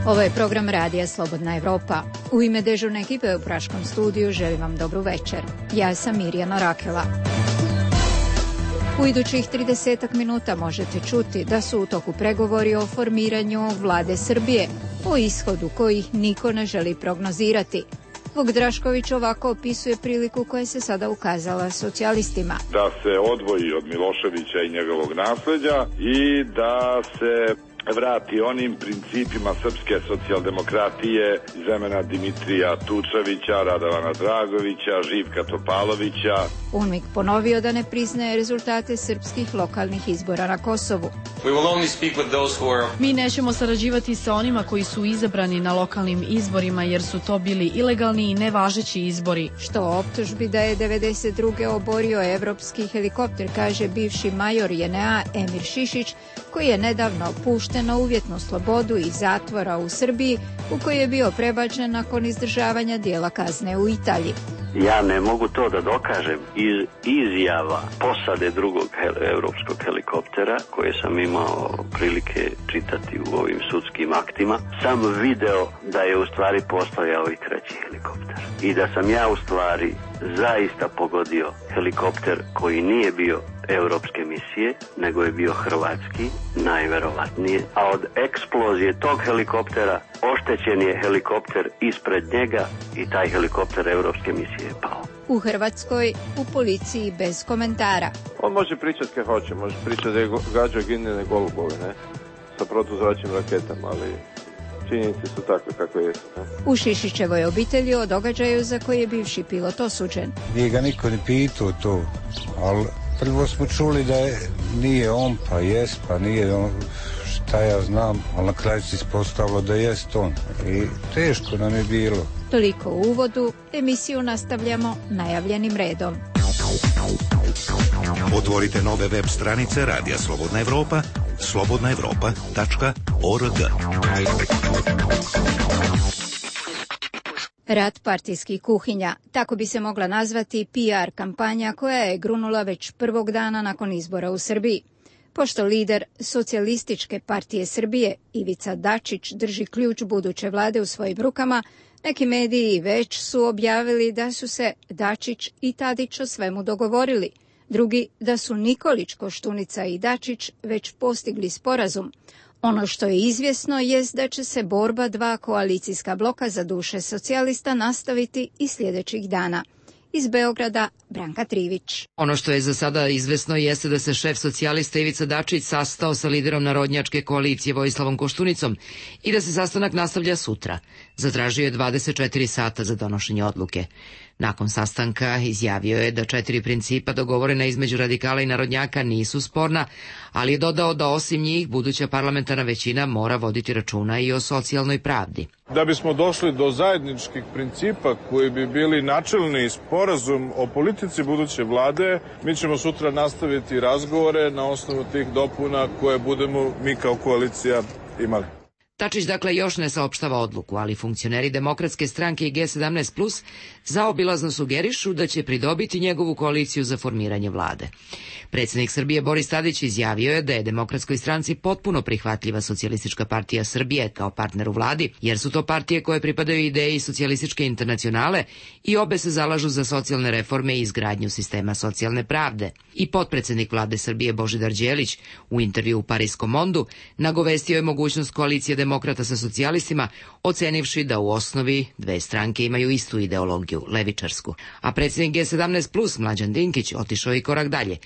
Ovo je program Radija Slobodna Evropa. U ime dežurne ekipe u Praškom studiju želim vam dobru večer. Ja sam Mirjana Rakela. U idućih 30 minuta možete čuti da su u toku pregovori o formiranju vlade Srbije, o ishodu kojih niko ne želi prognozirati. Vuk Drašković ovako opisuje priliku koja se sada ukazala socijalistima. Da se odvoji od Miloševića i njegovog nasleđa i da se vrati onim principima srpske socijaldemokratije iz vremena Dimitrija Tučevića, Radovana Dragovića, Živka Topalovića. UNMIK ponovio da ne priznaje rezultate srpskih lokalnih izbora na Kosovu. Mi nećemo sarađivati sa onima koji su izabrani na lokalnim izborima jer su to bili ilegalni i nevažeći izbori. Što o optužbi da je 92. oborio evropski helikopter, kaže bivši major JNA Emir Šišić, koji je nedavno pušten na uvjetnu slobodu iz zatvora u Srbiji, u koji je bio prebačen nakon izdržavanja dijela kazne u Italiji. Ja ne mogu to da dokažem iz izjava posade drugog evropskog helikoptera koje sam imao prilike čitati u ovim sudskim aktima. Sam video da je u stvari postojao i treći helikopter i da sam ja u stvari zaista pogodio helikopter koji nije bio evropske misije, nego je bio hrvatski, najverovatnije, a od eksplozije tog helikoptera oštećen je helikopter ispred njega i taj helikopter evropske misije je pao. U Hrvatskoj, u policiji bez komentara. On može pričati kad hoće, može pričati da je gađao ginjene golubove, ne? Sa protuzračnim raketama, ali činjenice su takve kako jesu. Ne? U Šišićevoj obitelji o događaju za koji je bivši pilot osuđen. Nije ga niko ni pitao to, ali prvo smo čuli da nije on, pa jest, pa nije on, šta ja znam, ali na kraju se ispostavilo da jest on. I teško nam je bilo. Toliko u uvodu, emisiju nastavljamo najavljenim redom. Otvorite nove web stranice Radija Slobodna Evropa, slobodnaevropa.org. Rat partijskih kuhinja, tako bi se mogla nazvati PR kampanja koja je grunula već prvog dana nakon izbora u Srbiji. Pošto lider Socijalističke partije Srbije Ivica Dačić drži ključ buduće vlade u svojim rukama, neki mediji već su objavili da su se Dačić i Tadić o svemu dogovorili. Drugi da su Nikolić, Koštunica i Dačić već postigli sporazum. Ono što je izvjesno jest da će se borba dva koalicijska bloka za duše socijalista nastaviti i sljedećih dana. Iz Beograda, Branka Trivić. Ono što je za sada izvesno jeste da se šef socijalista Ivica Dačić sastao sa liderom narodnjačke koalicije Vojislavom Koštunicom i da se sastanak nastavlja sutra. Zatražio je 24 sata za donošenje odluke. Nakon sastanka izjavio je da 4 principa dogovorena između radikala i narodnjaka nisu sporna, ali je dodao da osim njih buduća parlamentarna većina mora voditi računa i o socijalnoj pravdi. Da bismo došli do zajedničkih principa koji bi bili načelni sporazum o politici buduće vlade, mi ćemo sutra nastaviti razgovore na osnovu tih dopuna koje budemo mi kao koalicija imali. Dačić dakle još ne saopštava odluku, ali funkcioneri Demokratske stranke i G17+ zaobilazno sugerišu da će pridobiti njegovu koaliciju za formiranje vlade. Predsjednik Srbije Boris Tadić izjavio je da je Demokratskoj stranci potpuno prihvatljiva Socijalistička partija Srbije kao partner u vladi, jer su to partije koje pripadaju ideji Socijalističke internacionale i obe se zalažu za socijalne reforme i izgradnju sistema socijalne pravde. I potpredsjednik vlade Srbije Božidar Đelić u intervju u Pariskom Mondu nagovestio je mogućnost koalicije demokrata sa socijalistima, ocenivši da u osnovi dve stranke imaju istu ideologiju, levičarsku. A predsjednik G17+, Mlađan Dinkić, otišao i korak dalje.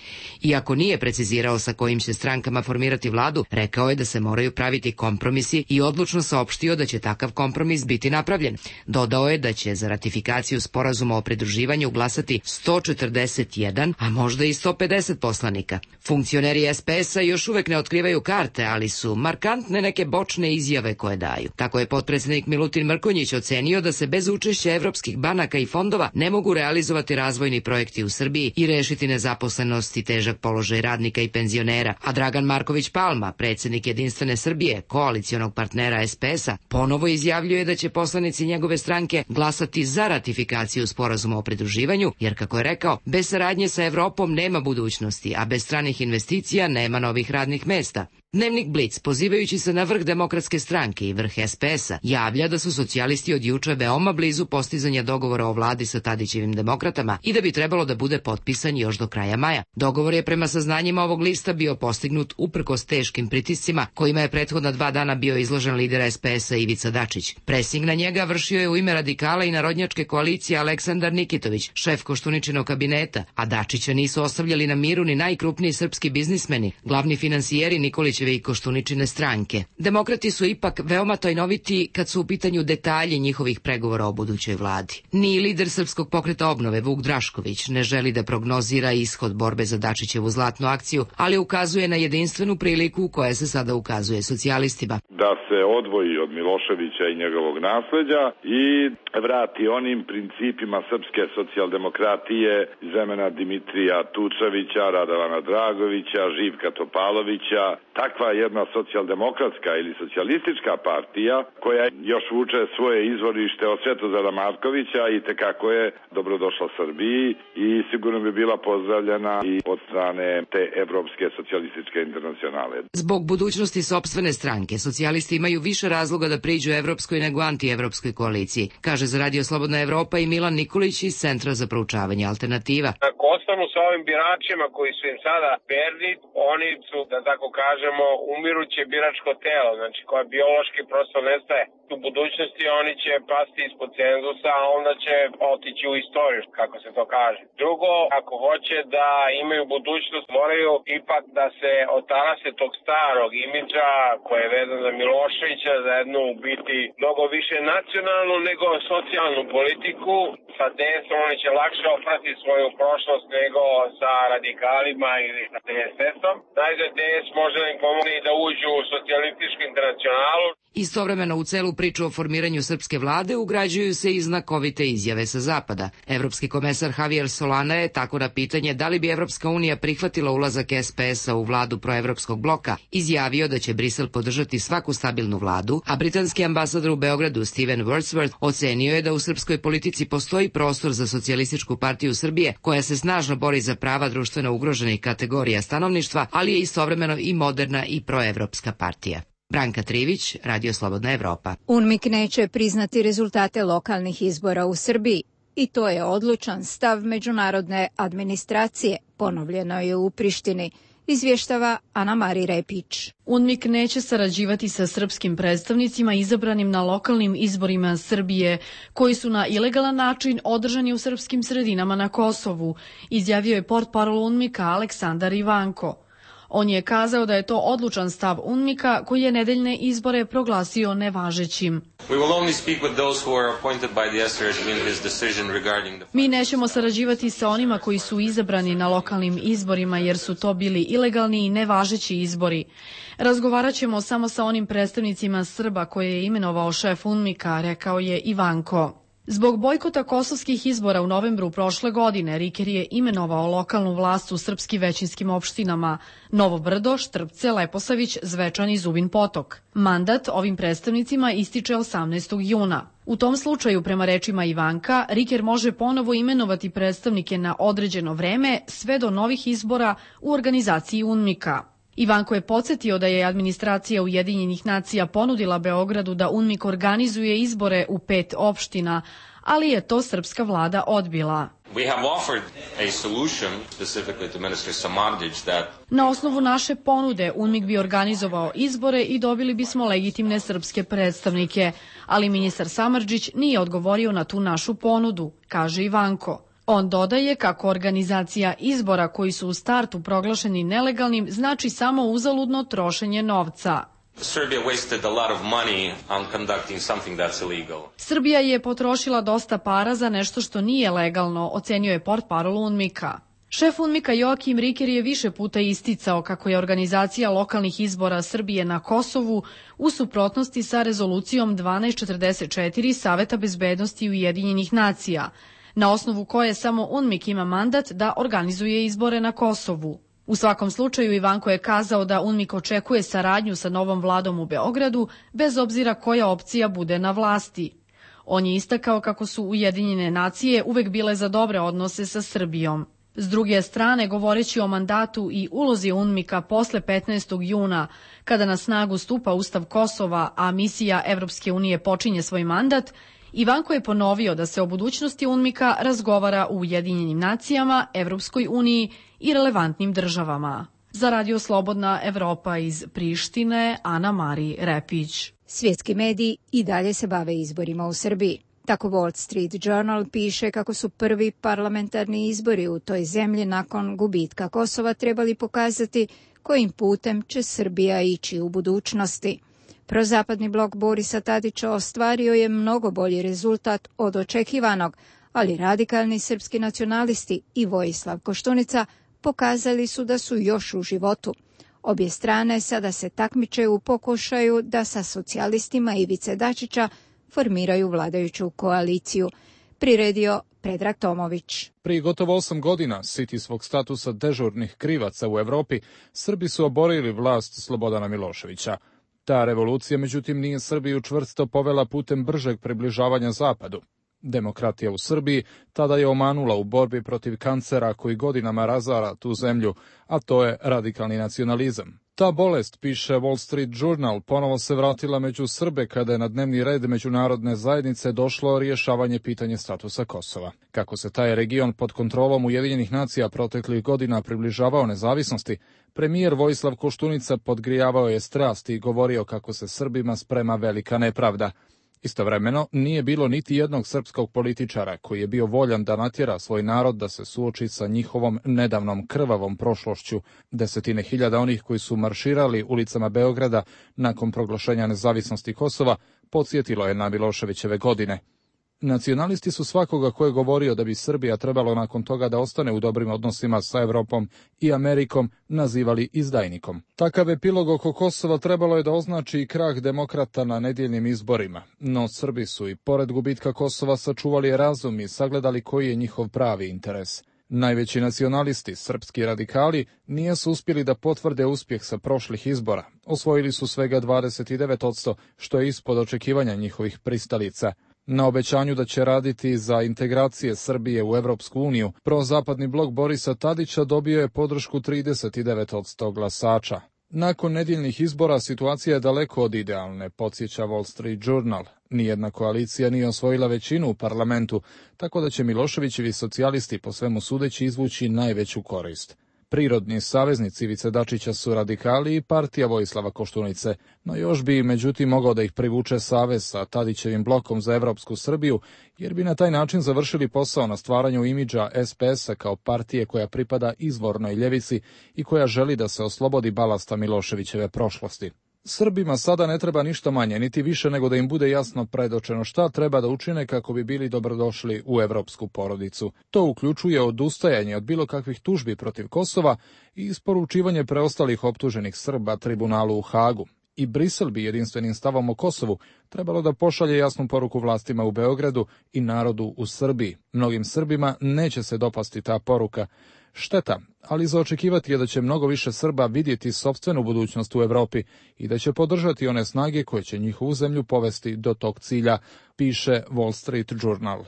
Iako nije precizirao sa kojim će strankama formirati vladu, rekao je da se moraju praviti kompromisi i odlučno saopštio da će takav kompromis biti napravljen. Dodao je da će za ratifikaciju sporazuma o pridruživanju glasati 141, a možda i 150 poslanika. Funkcioneri SPS-a još uvek ne otkrivaju karte, ali su markantne neke bočne izjave koje daju. Tako je potpredsjednik Milutin Mrkonjić ocenio da se bez učešća evropskih banaka i fondova ne mogu realizovati razvojni projekti u Srbiji i rešiti nezaposlenost i težak položaj radnika i penzionera, a Dragan Marković Palma, predsjednik Jedinstvene Srbije, koalicionog partnera SPS-a, ponovo izjavljuje da će poslanici njegove stranke glasati za ratifikaciju sporazuma o pridruživanju, jer kako je rekao, bez saradnje sa Evropom nema budućnosti, a bez stranih investicija nema novih radnih mesta. Dnevnik Blic, pozivajući se na vrh Demokratske stranke i vrh SPS-a, javlja da su socijalisti od juče veoma blizu postizanja dogovora o vladi sa Tadićevim demokratama i da bi trebalo da bude potpisan još do kraja maja. Dogovor je prema saznanjima ovog lista bio postignut uprkos teškim pritiscima kojima je prethodna 2 dana bio izložen lider SPS-a Ivica Dačić. Presing na njega vršio je u ime radikala i narodnjačke koalicije Aleksandar Nikitović, šef Koštuničinog kabineta, a Dačića nisu ostavljali na miru ni najkrupniji srpski biznismeni, glavni finansijeri Nikolićeve i Koštuničine stranke. Demokrati su ipak veoma tajnoviti kad su u pitanju detalji njihovih pregovora o budućoj vladi. Ni lider Srpskog pokreta obnove Vuk Drašković ne želi da prognozira ishod borbe za Dačićevu zlatnu akciju, ali ukazuje na jedinstvenu priliku koja se sada ukazuje socijalistima. Da se odvoji od Miloševića i njegovog nasleđa i vrati onim principima srpske socijaldemokratije iz vremena Dimitrija Tučevića, Radovana Dragovića, Živka Topalovića. Takva jedna socijaldemokratska ili socijalistička partija koja još vuče svoje izvorište od Svetozara Markovića i tekako je dobrodošla Srbiji i sigurno bi bila pozdravljena i od strane te Evropske socijalističke internacionale. Zbog budućnosti sopstvene stranke, socijalisti imaju više razloga da priđu evropskoj nego antievropskoj koaliciji, kaže za Radio Slobodna Evropa i Milan Nikolić iz Centra za proučavanje alternativa. Ako ostanu sa ovim biračima koji su im sada verni, oni su, da tako kažemo, umiruće biračko telo, znači koja biološki prosto nestaje. U budućnosti oni će pasti ispod cenzusa, a onda će otići u istoriju, kako se to kaže. Drugo, ako hoće da imaju budućnost, moraju ipak da se otarase tog starog imidža koje je vezan za Miloševića, za jednu u biti mnogo više nacionalnu nego socijalnu politiku. Sa DS-om oni će lakše oprati svoju prošlost nego sa radikalima ili sa DSS-om. Najzad DS može da im pomogne i da uđu u socijalističku internacionalu. Istovremeno u celu priču o formiranju srpske vlade ugrađuju se i znakovite izjave sa zapada. Evropski komesar Javier Solana je tako na pitanje da li bi Evropska unija prihvatila ulazak SPS-a u vladu proevropskog bloka izjavio da će Brisel podržati svaku stabilnu vladu, a britanski ambasador u Beogradu Steven Wordsworth ocenio je da u srpskoj politici postoji prostor za Socijalističku partiju Srbije koja se snažno bori za prava društveno ugroženih kategorija stanovništva, ali je istovremeno i moderna i proevropska partija. Branka Trivić, Radio Slobodna Evropa. UNMIK neće priznati rezultate lokalnih izbora u Srbiji i to je odlučan stav međunarodne administracije, ponovljeno je u Prištini, izvještava Ana Mari Repić. UNMIK neće sarađivati sa srpskim predstavnicima izabranim na lokalnim izborima Srbije, koji su na ilegalan način održani u srpskim sredinama na Kosovu, izjavio je portparol UNMIK-a Aleksandar Ivanko. On je kazao da je to odlučan stav UNMIK-a koji je nedeljne izbore proglasio nevažećim. Mi nećemo sarađivati sa onima koji su izabrani na lokalnim izborima jer su to bili ilegalni i nevažeći izbori. Razgovarat ćemo samo sa onim predstavnicima Srba koje je imenovao šef UNMIK-a, rekao je Ivanko. Zbog bojkota kosovskih izbora u novembru prošle godine, Riker je imenovao lokalnu vlast u srpski većinskim opštinama Novo Brdo, Štrpce, Leposavić, Zvečan i Zubin Potok. Mandat ovim predstavnicima ističe 18. juna. U tom slučaju, prema rečima Ivanka, Riker može ponovo imenovati predstavnike na određeno vreme sve do novih izbora u organizaciji UNMIK-a. Ivanko je podsjetio da je administracija Ujedinjenih nacija ponudila Beogradu da UNMIK organizuje izbore u 5 opština, ali je to srpska vlada odbila. Na osnovu naše ponude UNMIK bi organizovao izbore i dobili bismo legitimne srpske predstavnike, ali ministar Samardžić nije odgovorio na tu našu ponudu, kaže Ivanko. On dodaje kako organizacija izbora koji su u startu proglašeni nelegalnim znači samo uzaludno trošenje novca. Srbija je potrošila dosta para za nešto što nije legalno, ocenio je portparol UNMIK-a. Šef UNMIK-a Joakim Riker je više puta isticao kako je organizacija lokalnih izbora Srbije na Kosovu u suprotnosti sa rezolucijom 1244 Saveta bezbednosti Ujedinjenih nacija, na osnovu koje samo UNMIK ima mandat da organizuje izbore na Kosovu. U svakom slučaju Ivanko je kazao da UNMIK očekuje saradnju sa novom vladom u Beogradu, bez obzira koja opcija bude na vlasti. On je istakao kako su Ujedinjene nacije uvek bile za dobre odnose sa Srbijom. S druge strane, govoreći o mandatu i ulozi UNMIK-a posle 15. juna, kada na snagu stupa Ustav Kosova, a misija Evropske unije počinje svoj mandat, Ivanko je ponovio da se o budućnosti UNMIK-a razgovara u Ujedinjenim nacijama, Evropskoj uniji i relevantnim državama. Za Radio Slobodna Evropa iz Prištine, Ana Mari Repić. Svjetski mediji i dalje se bave izborima u Srbiji. Tako Wall Street Journal piše kako su prvi parlamentarni izbori u toj zemlji nakon gubitka Kosova trebali pokazati kojim putem će Srbija ići u budućnosti. Prozapadni blok Borisa Tadića ostvario je mnogo bolji rezultat od očekivanog, ali radikalni srpski nacionalisti i Vojislav Koštunica pokazali su da su još u životu. Obje strane sada se takmiče u pokušaju da sa socijalistima Ivice Dačića formiraju vladajuću koaliciju, priredio Predrag Tomović. Prije gotovo 8 godina, siti svog statusa dežurnih krivaca u Evropi, Srbi su oborili vlast Slobodana Miloševića. Ta revolucija, međutim, nije Srbiju čvrsto povela putem bržeg približavanja Zapadu. Demokratija u Srbiji tada je omanula u borbi protiv kancera koji godinama razara tu zemlju, a to je radikalni nacionalizam. Ta bolest, piše Wall Street Journal, ponovo se vratila među Srbe kada je na dnevni red međunarodne zajednice došlo rješavanje pitanja statusa Kosova. Kako se taj region pod kontrolom Ujedinjenih nacija proteklih godina približavao nezavisnosti, premijer Vojislav Koštunica podgrijavao je strasti i govorio kako se Srbima sprema velika nepravda. Istovremeno, nije bilo niti jednog srpskog političara koji je bio voljan da natjera svoj narod da se suoči sa njihovom nedavnom krvavom prošlošću. Desetine hiljada onih koji su marširali ulicama Beograda nakon proglašenja nezavisnosti Kosova podsjetilo je na Miloševićeve godine. Nacionalisti su svakoga ko je govorio da bi Srbija trebalo nakon toga da ostane u dobrim odnosima sa Evropom i Amerikom nazivali izdajnikom. Takav epilog oko Kosova trebalo je da označi i krah demokrata na nedjeljnim izborima, no Srbi su i pored gubitka Kosova sačuvali razum i sagledali koji je njihov pravi interes. Najveći nacionalisti, srpski radikali, nisu uspjeli da potvrde uspjeh sa prošlih izbora. Osvojili su svega 29%, što je ispod očekivanja njihovih pristalica. Na obećanju da će raditi za integracije Srbije u Evropsku uniju, prozapadni blok Borisa Tadića dobio je podršku 39% glasača. Nakon nedjeljnih izbora situacija je daleko od idealne, podsjeća Wall Street Journal. Nijedna koalicija nije osvojila većinu u parlamentu, tako da će Miloševićevi socijalisti po svemu sudeći izvući najveću korist. Prirodni saveznici Ivice Dačića su radikali i partija Vojislava Koštunice, no još bi međutim mogao da ih privuče savez sa Tadićevim blokom za Evropsku Srbiju, jer bi na taj način završili posao na stvaranju imidža SPS-a kao partije koja pripada izvornoj ljevici i koja želi da se oslobodi balasta Miloševićeve prošlosti. Srbima sada ne treba ništa manje, niti više nego da im bude jasno predočeno šta treba da učine kako bi bili dobrodošli u evropsku porodicu. To uključuje odustajanje od bilo kakvih tužbi protiv Kosova i isporučivanje preostalih optuženih Srba tribunalu u Hagu. I Brisel bi jedinstvenim stavom o Kosovu trebalo da pošalje jasnu poruku vlastima u Beogradu i narodu u Srbiji. Mnogim Srbima neće se dopasti ta poruka. Šteta, ali za očekivati je da će mnogo više Srba vidjeti sopstvenu budućnost u Evropi i da će podržati one snage koje će njihovu zemlju povesti do tog cilja, piše Wall Street Journal.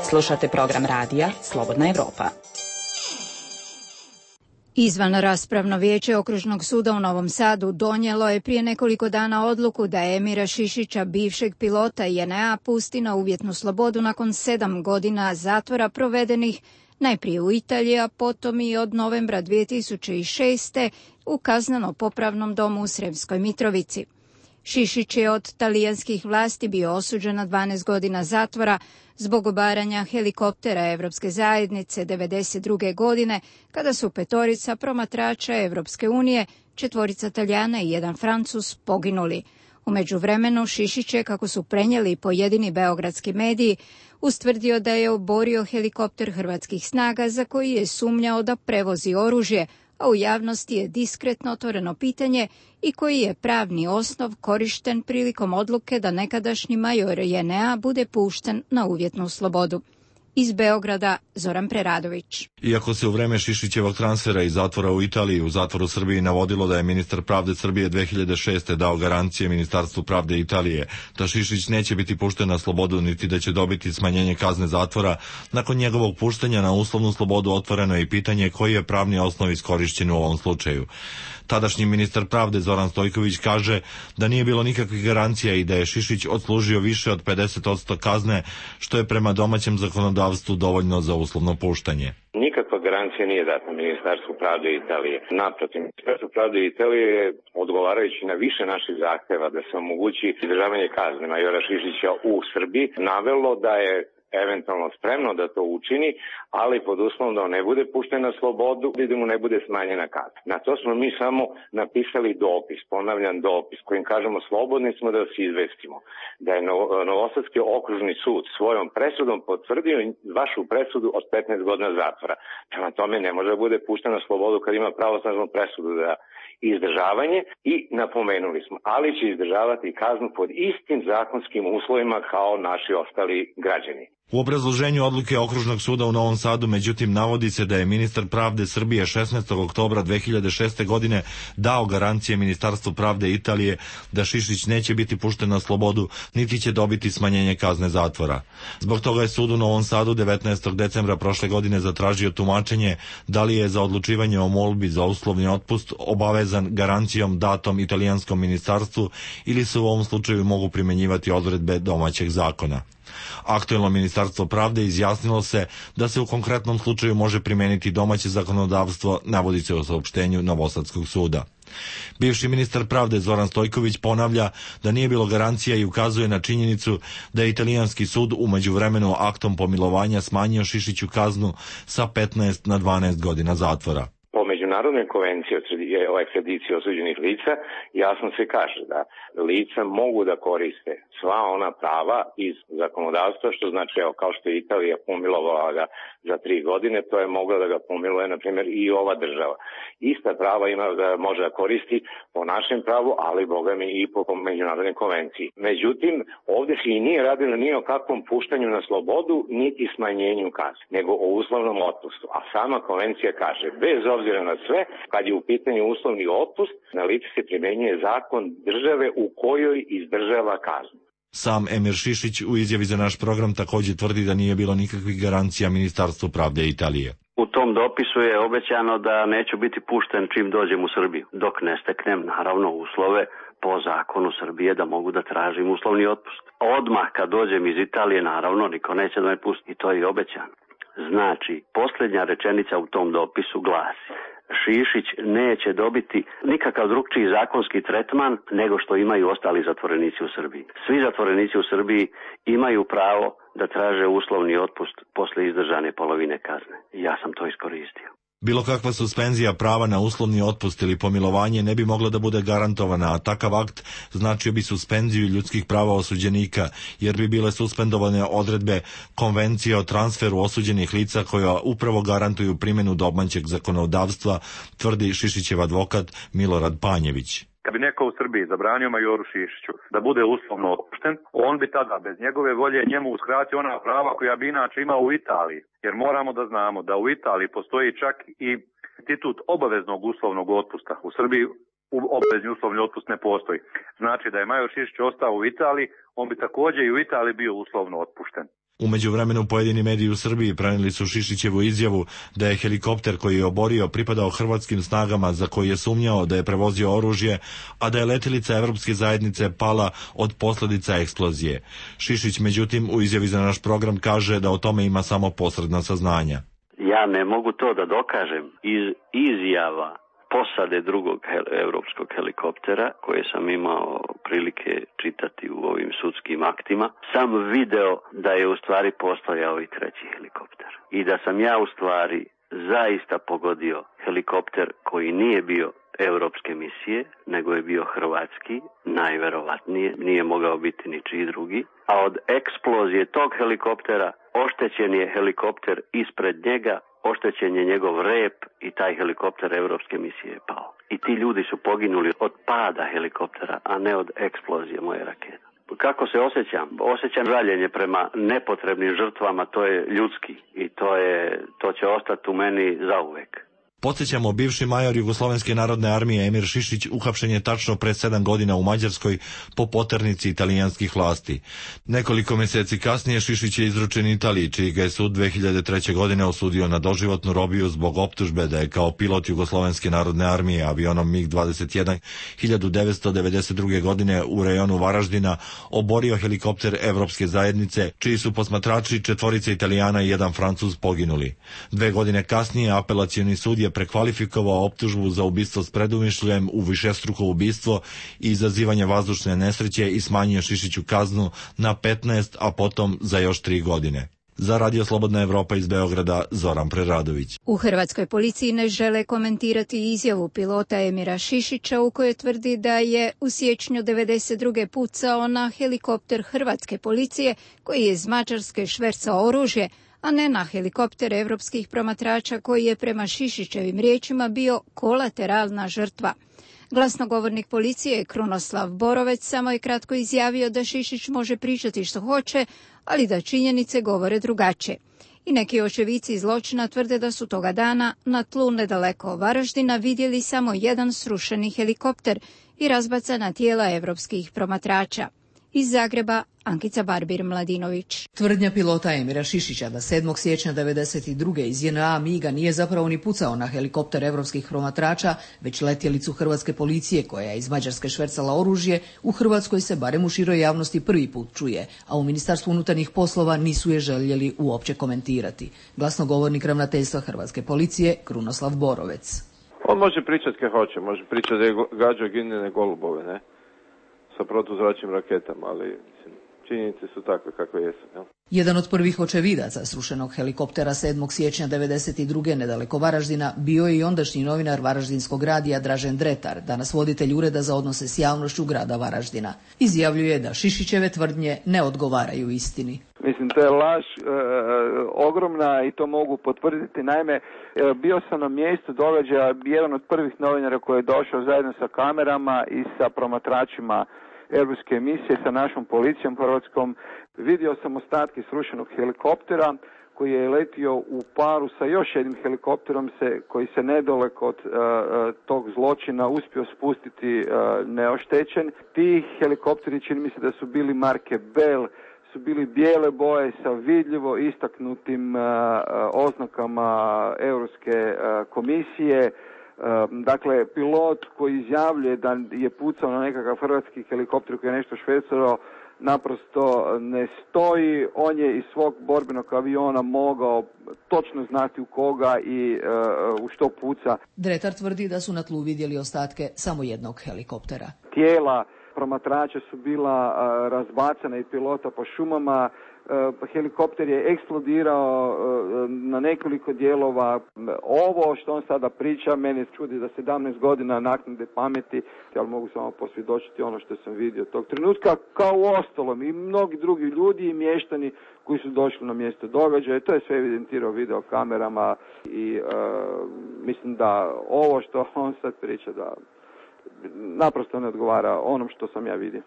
Slušate program radija Slobodna Evropa. Izvan raspravno vijeće Okružnog suda u Novom Sadu donijelo je prije nekoliko dana odluku da Emira Šišića, bivšeg pilota JNA, pusti na uvjetnu slobodu nakon 7 godina zatvora provedenih najprije u Italiji, a potom i od novembra 2006. u kazneno-popravnom domu u Sremskoj Mitrovici. Šišić je od talijanskih vlasti bio osuđen na 12 godina zatvora zbog obaranja helikoptera Evropske zajednice 1992. godine, kada su 5 promatrača Evropske unije, 4 Talijana i 1 Francuz poginuli. U međuvremenu Šišić je, kako su prenijeli pojedini beogradski mediji, ustvrdio da je oborio helikopter hrvatskih snaga za koji je sumnjao da prevozi oružje, a u javnosti je diskretno otvoreno pitanje i koji je pravni osnov korišten prilikom odluke da nekadašnji major JNA bude pušten na uvjetnu slobodu. Iz Beograda Zoran Preradović. Iako se u vreme Šišićevog transfera iz zatvora u Italiji u zatvor u Srbiji navodilo da je ministar pravde Srbije 2006. dao garancije Ministarstvu pravde Italije da Šišić neće biti pušten na slobodu niti da će dobiti smanjenje kazne zatvora, nakon njegovog puštanja na uslovnu slobodu otvoreno je i pitanje koji je pravni osnov iskorišćen u ovom slučaju. Tadašnji ministar pravde Zoran Stojković kaže da nije bilo nikakvih garancija i da je Šišić odslužio više od 50% kazne, što je prema domaćem zakonodavstvu dovoljno za uslovno puštanje. Nikakva garancija nije data Ministarstvu pravde Italije. Naprotiv, Ministarstvo pravde Italije je, odgovarajući na više naših zahteva da se omogući izdržavanje kazne majora Šišića u Srbiji, navelo da je eventualno spremno da to učini, ali pod uslovom da on ne bude pušten na slobodu i da mu ne bude smanjena kazna. Na to smo mi samo napisali dopis, ponavljam dopis, kojim kažemo slobodni smo da se izvestimo da je Novosadski okružni sud svojom presudom potvrdio vašu presudu od 15 godina zatvora. Prema tome ne može da bude pušten na slobodu kad ima pravosnažnu presudu za izdržavanje i napomenuli smo, ali će izdržavati kaznu pod istim zakonskim uslovima kao naši ostali građani. U obrazloženju odluke Okružnog suda u Novom Sadu, međutim, navodi se da je ministar pravde Srbije 16. oktobra 2006. godine dao garancije Ministarstvu pravde Italije da Šišić neće biti pušten na slobodu, niti će dobiti smanjenje kazne zatvora. Zbog toga je sud u Novom Sadu 19. decembra prošle godine zatražio tumačenje da li je za odlučivanje o molbi za uslovni otpust obavezan garancijom datom italijanskom ministarstvu ili se u ovom slučaju mogu primenjivati odredbe domaćeg zakona. Aktuelno Ministarstvo pravde izjasnilo se da se u konkretnom slučaju može primeniti domaće zakonodavstvo, navodi se u saopštenju Novosadskog suda. Bivši ministar pravde Zoran Stojković ponavlja da nije bilo garancija i ukazuje na činjenicu da je italijanski sud u međuvremenu aktom pomilovanja smanjio Šišiću kaznu sa 15 na 12 godina zatvora. Po Međunarodnoj konvenciji o ekstradiciji osuđenih lica jasno se kaže da lica mogu da koriste sva ona prava iz zakonodavstva, što znači, evo, kao što je Italija pomilovala ga za 3 godine, to je mogla da ga pomiluje, na primjer, i ova država. Ista prava ima da može da koristi po našem pravu, ali, boga mi, i po Međunarodnoj konvenciji. Međutim, ovdje se i nije radilo ni o kakvom puštanju na slobodu, niti smanjenju kazne, nego o uslovnom otpustu. A sama konvencija kaže, bez obzira na sve, kad je u pitanju uslovni otpust, na lice se primenjuje zakon države u kojoj izdržava kaznu. Sam Emir Šišić u izjavi za naš program također tvrdi da nije bilo nikakvih garancija Ministarstvu pravde Italije. U tom dopisu je obećano da neću biti pušten čim dođem u Srbiju, dok ne steknem naravno uslove po zakonu Srbije da mogu da tražim uslovni otpust. Odmah kad dođem iz Italije, naravno, niko neće da me pusti i to je obećano. Znači, posljednja rečenica u tom dopisu glasi: Šišić neće dobiti nikakav drugčiji zakonski tretman nego što imaju ostali zatvorenici u Srbiji. Svi zatvorenici u Srbiji imaju pravo da traže uslovni otpust posle izdržane polovine kazne. Ja sam to iskoristio. Bilo kakva suspenzija prava na uslovni otpust ili pomilovanje ne bi mogla da bude garantovana, a takav akt značio bi suspenziju ljudskih prava osuđenika, jer bi bile suspendovane odredbe Konvencije o transferu osuđenih lica koja upravo garantuju primjenu domaćeg zakonodavstva, tvrdi Šišićev advokat Milorad Panjević. Kad bi neko u Srbiji zabranio majoru Šišiću da bude uslovno otpušten, on bi tada bez njegove volje njemu uskratio ona prava koja bi inače imao u Italiji. Jer moramo da znamo da u Italiji postoji čak i institut obaveznog uslovnog otpusta. U Srbiji obavezni uslovni otpust ne postoji. Znači da je major Šišić ostao u Italiji, on bi također i u Italiji bio uslovno otpušten. U međuvremenu pojedini mediji u Srbiji prenijeli su Šišićevu izjavu da je helikopter koji je oborio pripadao hrvatskim snagama za koji je sumnjao da je prevozio oružje, a da je letelica Evropske zajednice pala od posljedica eksplozije. Šišić, međutim, u izjavi za naš program kaže da o tome ima samo posredna saznanja. Ja ne mogu to da dokažem iz izjava posade drugog evropskog helikoptera koje sam imao prilike čitati u ovim sudskim aktima, sam video da je u stvari postojao i treći helikopter. I da sam ja u stvari zaista pogodio helikopter koji nije bio evropske misije, nego je bio hrvatski, najverovatnije, nije mogao biti ničiji drugi, a od eksplozije tog helikoptera oštećen je helikopter ispred njega, oštećen je njegov rep i taj helikopter evropske misije je pao. I ti ljudi su poginuli od pada helikoptera, a ne od eksplozije moje rakete. Kako se osjećam? Osjećam žaljenje prema nepotrebnim žrtvama, to je ljudski i to će ostati u meni zauvek. Podsjećamo, bivši major Jugoslovenske narodne armije Emir Šišić uhapšen je tačno pre 7 godina u Mađarskoj po poternici italijanskih vlasti. Nekoliko mjeseci kasnije Šišić je izručen Italiji, čiji ga je sud 2003. godine osudio na doživotnu robiju zbog optužbe da je kao pilot Jugoslovenske narodne armije avionom MiG-21 1992. godine u rejonu Varaždina oborio helikopter Evropske zajednice, čiji su posmatrači 4 Italijana i 1 Francuz poginuli. 2 godine kasnije apelacioni sud je prekvalifikovao optužbu za ubistvo s predumišljem u višestruko ubistvo i izazivanje vazdušne nesreće i smanjio Šišiću kaznu na 15, a potom za još 3 godine. Za Radio Slobodna Evropa iz Beograda, Zoran Preradović. U hrvatskoj policiji ne žele komentirati izjavu pilota Emira Šišića u kojoj tvrdi da je u siječnju 1992. pucao na helikopter hrvatske policije koji je iz Mađarske švercao oružje, a ne na helikopter evropskih promatrača koji je prema Šišićevim riječima bio kolateralna žrtva. Glasnogovornik policije Krunoslav Borovec samo je kratko izjavio da Šišić može pričati što hoće, ali da činjenice govore drugačije. I neki očevici zločina tvrde da su toga dana na tlu nedaleko Varaždina vidjeli samo jedan srušeni helikopter i razbacana tijela evropskih promatrača. Iz Zagreba, Ankica Barbir-Mladinović. Tvrdnja pilota Emira Šišića da 7. siječnja 1992. iz JNA MiG-a nije zapravo ni pucao na helikopter evropskih promatrača, već letjelicu hrvatske policije koja je iz Mađarske švercala oružje, u Hrvatskoj se barem u široj javnosti prvi put čuje, a u Ministarstvu unutarnjih poslova nisu je željeli uopće komentirati. Glasnogovornik ravnateljstva hrvatske policije Krunoslav Borovec. On može pričati kaj hoće, može pričati da je gađao ginjene golubove, ne? Sa protuzračnim raketama, ali činjenice su takve kakve jesu. Ja? Jedan od prvih očevidaca srušenog helikoptera 7. siječnja 1992. nedaleko Varaždina bio je i ondašnji novinar Varaždinskog radija Dražen Dretar, danas voditelj Ureda za odnose s javnošću grada Varaždina. Izjavljuje da Šišićeve tvrdnje ne odgovaraju istini. Mislim, to je laž ogromna i to mogu potvrditi. Naime, bio sam na mjestu događaja, jedan od prvih novinara koji je došao zajedno sa kamerama i sa promatračima europske emisije, sa našom policijom hrvatskom. Vidio sam ostatke srušenog helikoptera koji je letio u paru sa još jednim helikopterom koji se nedaleko od tog zločina uspio spustiti neoštećen. Ti helikopteri, čini mi se da su bili marke Bell, su bili bijele boje sa vidljivo istaknutim oznakama Europske komisije. Dakle, pilot koji izjavljuje da je pucao na nekakav hrvatski helikopter koji je nešto švercao, naprosto ne stoji. On je iz svog borbenog aviona mogao točno znati u koga i u što puca. Dretar tvrdi da su na tlu vidjeli ostatke samo jednog helikoptera. Tijela promatrača su bila razbacana i pilota po šumama. Helikopter je eksplodirao na nekoliko dijelova. Ovo što on sada priča, mene čudi za 17 godina naknade pameti, ali mogu samo posvjedočiti ono što sam vidio tog trenutka, kao u ostalom i mnogi drugi ljudi i mještani koji su došli na mjesto događaja. To je sve evidentirao videokamerama i mislim da ovo što on sad priča da naprosto ne odgovara onom što sam ja vidio.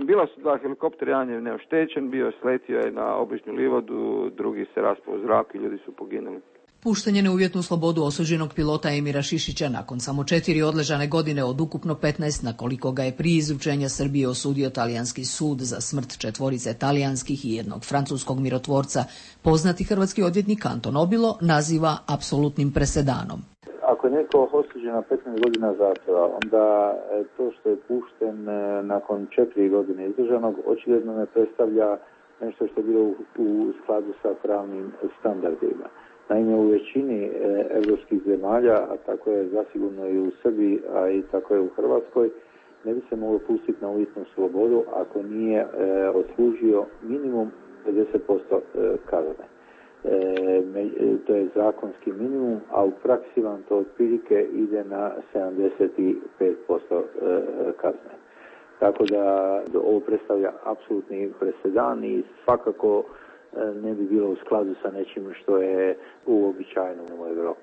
Bila su 2 helikoptera, jedan je neoštećen, sletio je na obližnju livadu, drugi se raspao u zrak i ljudi su poginuli. Puštanje na uvjetnu slobodu osuđenog pilota Emira Šišića nakon samo 4 odležane godine od ukupno 15, na koliko ga je prije izručenja Srbije osudio talijanski sud za smrt 4 talijanskih i 1 francuskog mirotvorca, poznati hrvatski odvjetnik Anton Obilo naziva apsolutnim presedanom. Ako je neko osuđen na 15 godina zatvora, onda to što je pušten nakon 4 godine izdržanog očigledno ne predstavlja nešto što je bilo u skladu sa pravnim standardima. Naime, u većini evropskih zemalja, a tako je zasigurno i u Srbiji, a i tako je u Hrvatskoj, ne bi se moglo pustiti na uvjetnu slobodu ako nije odslužio minimum 50% kazne. To je zakonski minimum, a u praksi vam to otprilike ide na 75% kazne. Tako da ovo predstavlja apsolutni presedan i svakako ne bi bilo u skladu sa nečim što je uobičajeno u Evropi.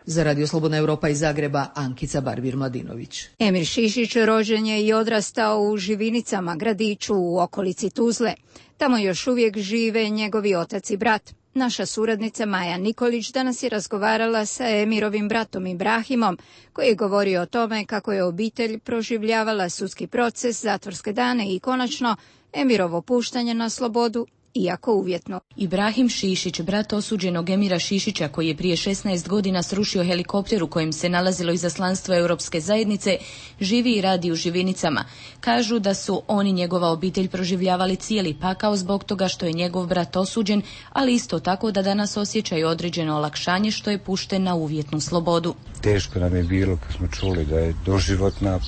Za Radio Slobodna Evropa iz Zagreba, Ankica Barbir-Mladinović. Emir Šišić rođen je i odrastao u Živinicama, gradiću u okolici Tuzle. Tamo još uvijek žive njegovi otac i brat. Naša suradnica Maja Nikolić danas je razgovarala sa Emirovim bratom Ibrahimom, koji je govorio o tome kako je obitelj proživljavala sudski proces, zatvorske dane i konačno Emirovo puštanje na slobodu, iako uvjetno. Ibrahim Šišić, brat osuđenog Emira Šišića, koji je prije 16 godina srušio helikopter u kojem se nalazilo izaslanstvo Europske zajednice, živi i radi u Živinicama. Kažu da su oni, njegova obitelj, proživljavali cijeli pakao zbog toga što je njegov brat osuđen, ali isto tako da danas osjećaju određeno olakšanje što je pušten na uvjetnu slobodu. Teško nam je bilo kad smo čuli da je doživotna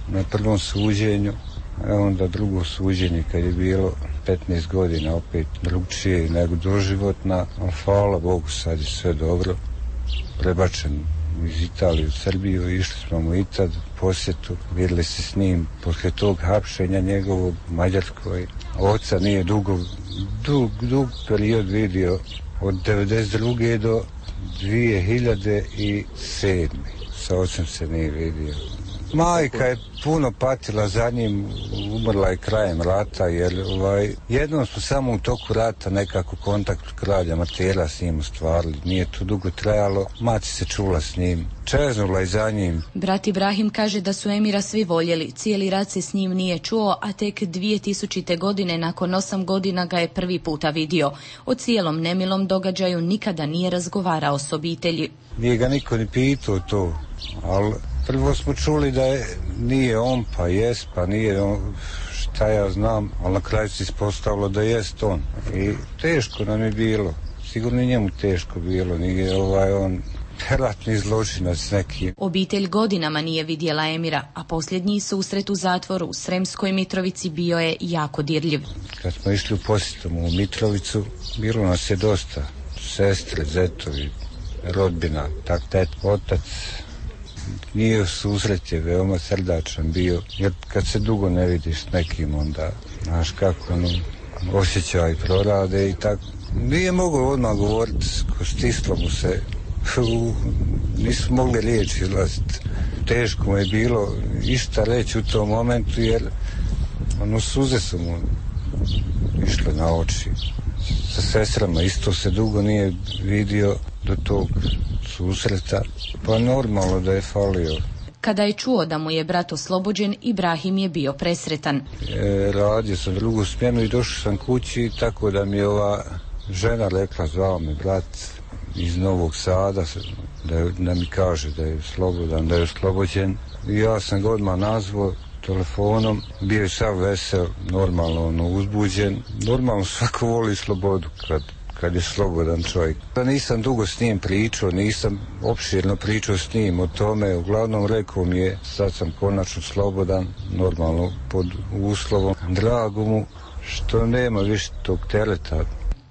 na prvom suđenju, a onda drugo suđenje kad je bilo 15 godina opet drugčije nego doživotna, ali hvala Bogu sad je sve dobro. Prebačen iz Italije u Srbiju, išli smo mu i tad u posjetu, vidjeli se s njim poslije tog hapšenja njegovog u Mađarskoj. Oca nije dug period vidio od 1992. do 2007. Sa ocem se nije vidio. Majka je puno patila za njim, umrla je krajem rata, jer jednom smo samo u toku rata nekako kontakt kralja Martela s njim ostvarili. Nije to dugo trajalo, mati se čula s njim, čeznula je za njim. Brat Ibrahim kaže da su Emira svi voljeli, cijeli rat se s njim nije čuo, a tek 2000. godine, nakon 8 godina, ga je prvi puta vidio. O cijelom nemilom događaju nikada nije razgovarao s obitelji. Nije ga niko ni pitao to, ali prvo smo čuli da nije on, pa jest, pa nije on, šta ja znam, ali na kraju se ispostavilo da jest on. I teško nam je bilo, sigurno i njemu teško bilo, nije on ratni zločinac neki. Obitelj godinama nije vidjela Emira, a posljednji susret u zatvoru u Sremskoj Mitrovici bio je jako dirljiv. Kad smo išli u posjetu u Mitrovicu, bilo nas je dosta, sestre, zetovi, rodbina, otac. Nije susret je veoma srdačan bio, jer kad se dugo ne vidiš s nekim, onda znaš kako osjećaj prorade i tako. Nije mogao odmah govoriti, stislo mu se, nisu mogli riječi izlaziti. Teško mu je bilo išta reći u tom momentu, jer suze su mu išle na oči. Sa sestrama isto se dugo nije vidio do tog susreta, pa normalno da je falio. Kada je čuo da mu je brat oslobođen, Ibrahim je bio presretan. Radio sam drugu smjenu i došao sam kući, tako da mi je ova žena rekla, zvao me brat iz Novog Sada, da mi kaže da je slobodan, da je oslobođen. I ja sam ga odmah nazvao telefonom, bio je sav vesel, normalno uzbuđen. Normalno svako voli slobodu kad je slobodan čovjek. Nisam dugo s njim pričao, nisam opširno pričao s njim o tome, uglavnom rekao mi je, sad sam konačno slobodan, normalno pod uslovom, drago mu što nema više tog tereta.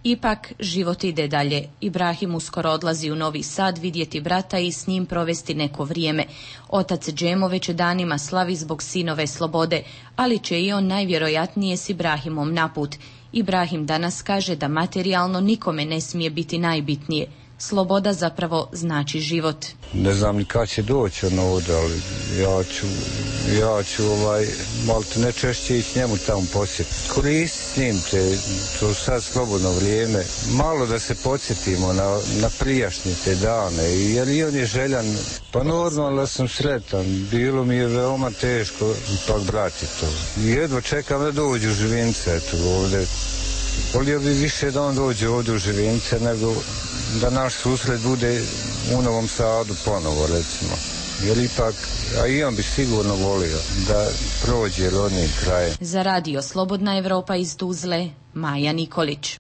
Ipak, život ide dalje. Ibrahim uskoro odlazi u Novi Sad vidjeti brata i s njim provesti neko vrijeme. Otac Džemo već danima slavi zbog sinove slobode, ali će i on najvjerojatnije s Ibrahimom naput. Ibrahim danas kaže da materijalno nikome ne smije biti najbitnije. Sloboda zapravo znači život. Ne znam ni kad će doći ovdje, ali ja ću malo ne češće ići njemu tamo posjetiti. Koristiti s njim to sad slobodno vrijeme. Malo da se podsjetimo na prijašnje te dane, jer i on je željan. Pa normalno da sam sretan, bilo mi je veoma teško ipak brati to. Jedva čekam da dođu u Živinice ovdje. Volio bi više da on dođe ovdje u Živinice nego da naš susret bude u Novom Sadu ponovo, recimo. Jer ipak, a i on bi sigurno volio da prođe rodnim krajem. Za Radio Slobodna Evropa iz Tuzle, Maja Nikolić.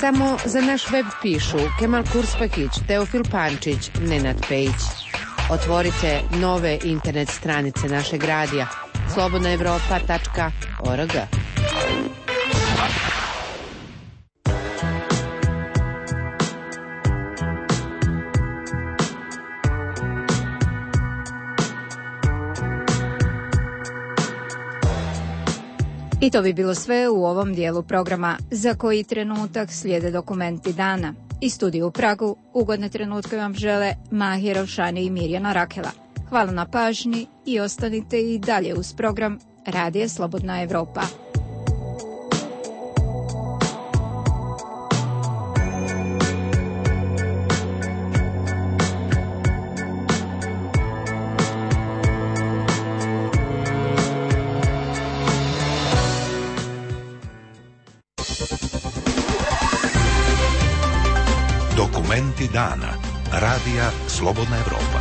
Samo za naš web pišu Kemal Kurspahić, Teofil Pančić, Nenad Pejić. Otvorite nove internet stranice našeg radija slobodnaevropa.org. I to bi bilo sve u ovom dijelu programa. Za koji trenutak slijede dokumenti dana. Iz studija u Pragu ugodne trenutke vam žele Mahir Elšani i Mirjana Rakela. Hvala na pažnji i ostanite i dalje uz program Radija Slobodna Evropa. Dokumenti dana. Radija Slobodna Evropa.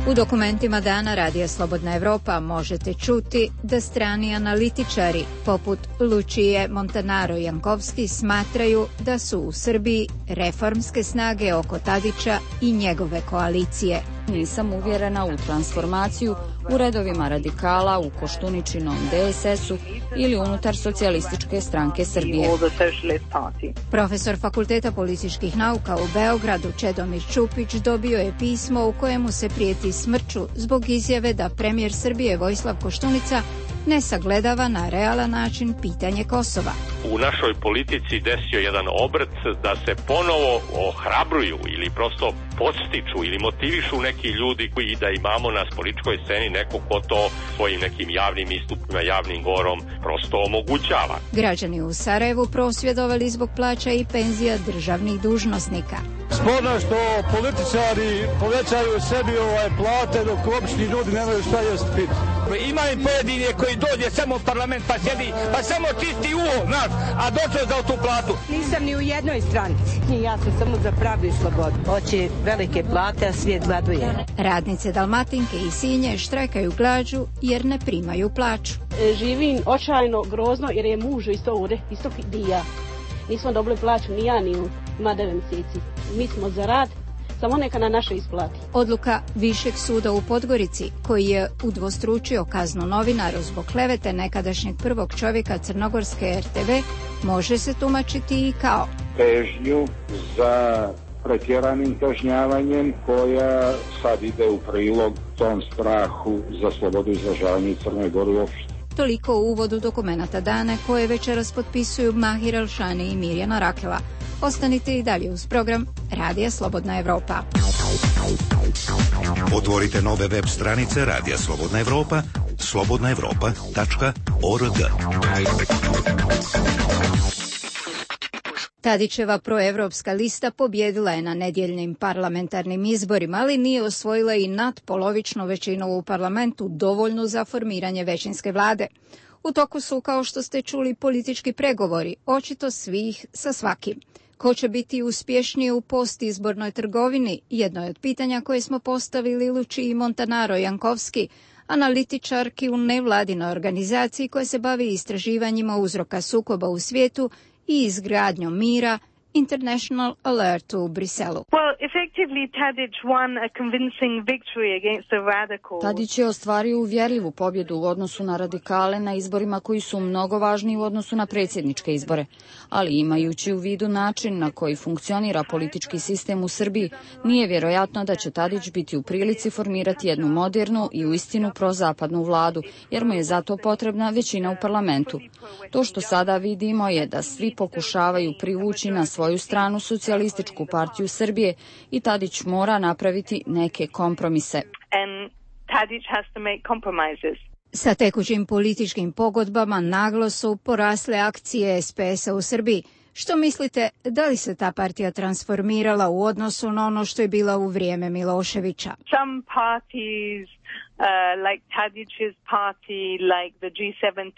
U dokumentima dana Radija Slobodna Evropa možete čuti da strani analitičari poput Lučije Montanaro-Jankovski smatraju da su u Srbiji reformske snage oko Tadića i njegove koalicije. Nisam uvjerena u transformaciju u redovima radikala, u Koštuničinom DSS-u ili unutar Socijalističke stranke Srbije. Profesor Fakulteta političkih nauka u Beogradu Čedomir Čupić dobio je pismo u kojemu se prijeti smrću zbog izjave da premijer Srbije Vojislav Koštunica ne sagledava na realan način pitanje Kosova. U našoj politici desio jedan obrt da se ponovo ohrabruju ili prosto podstiču ili motivišu neki ljudi koji da imamo na političkoj sceni neko ko to svojim nekim javnim istupima, javnim govorom prosto omogućava. Građani u Sarajevu prosvjedovali zbog plaća i penzija državnih dužnosnika. Sporno što političari povećaju sebi plate dok obični ljudi nemaju šta jest piti. Ima i pojedine koji dođe samo u parlament pa sjedi, pa samo čisti uho, znaš, a došao za tu platu. Nisam ni u jednoj stranci. Ja sam samo za pravdu i slobodu. Hoće velike plate, a svijet gladuje. Radnice Dalmatinke i Sinje štrajkaju glađu jer ne primaju plaću. Živim očajno, grozno jer je muž isto ovdje, isto i ja. Nismo dobili plaću ni ja ni on, ima 9 mjeseci. Mi smo za rad, samo neka na naše isplati. Odluka Višeg suda u Podgorici, koji je udvostručio kaznu novinaru zbog klevete nekadašnjeg prvog čovjeka crnogorske RTV, može se tumačiti i kao težnju za pretjeranim kažnjavanjem koja sad ide u prilog tom strahu za slobodu izražavanja i Crnoj Gori uopšte. Toliko u uvodu dokumenata dana koje večeras potpisuju Mahir Elšani i Mirjana Rakela. Ostanite i dalje uz program Radija Slobodna Evropa. Otvorite nove web stranice Radija Slobodna Evropa, slobodnaevropa.org. Tadićeva proevropska lista pobjedila je na nedjeljnim parlamentarnim izborima, ali nije osvojila i nadpolovičnu većinu u parlamentu, dovoljnu za formiranje većinske vlade. U toku su, kao što ste čuli, politički pregovori, očito svih sa svakim. Ko će biti uspješniji u postizbornoj trgovini, jedno je od pitanja koje smo postavili Lučiji Montanaro-Jankovski, analitičarki u nevladinoj organizaciji koja se bavi istraživanjima uzroka sukoba u svijetu i izgradnjom mira, International Alert u Briselu. Tadić je ostvario uvjerljivu pobjedu u odnosu na radikale na izborima koji su mnogo važniji u odnosu na predsjedničke izbore, ali imajući u vidu način na koji funkcionira politički sistem u Srbiji, nije vjerojatno da će Tadić biti u prilici formirati jednu modernu i uistinu prozapadnu vladu, jer mu je zato potrebna većina u parlamentu. To što sada vidimo je da svi pokušavaju privući na svoju stranu Socijalističku partiju Srbije i Tadić mora napraviti neke kompromise. Sa tekućim političkim pogodbama naglo su porasle akcije SPS-a u Srbiji. Što mislite, da li se ta partija transformirala u odnosu na ono što je bila u vrijeme Miloševića? Some parties like Tadić's party, like the G17,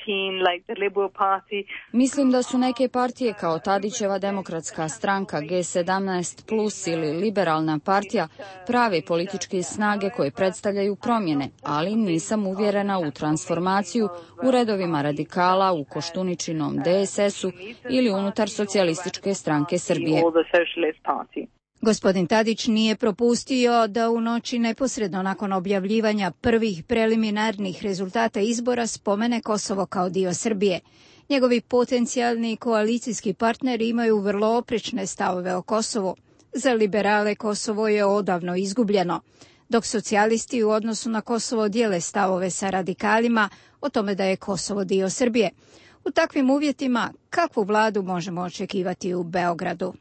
like the Liberal Party. Mislim da su neke partije kao Tadićeva demokratska stranka G17 plus ili liberalna partija prave političke snage koje predstavljaju promjene, ali nisam uvjerena u transformaciju u redovima radikala, u Koštuničinom DSS-u ili unutar Socijalističke stranke Srbije. Gospodin Tadić nije propustio da u noći neposredno nakon objavljivanja prvih preliminarnih rezultata izbora spomene Kosovo kao dio Srbije. Njegovi potencijalni koalicijski partneri imaju vrlo oprečne stavove o Kosovu. Za liberale Kosovo je odavno izgubljeno. dok socijalisti u odnosu na Kosovo dijele stavove sa radikalima o tome da je Kosovo dio Srbije. U takvim uvjetima kakvu vladu možemo očekivati u Beogradu?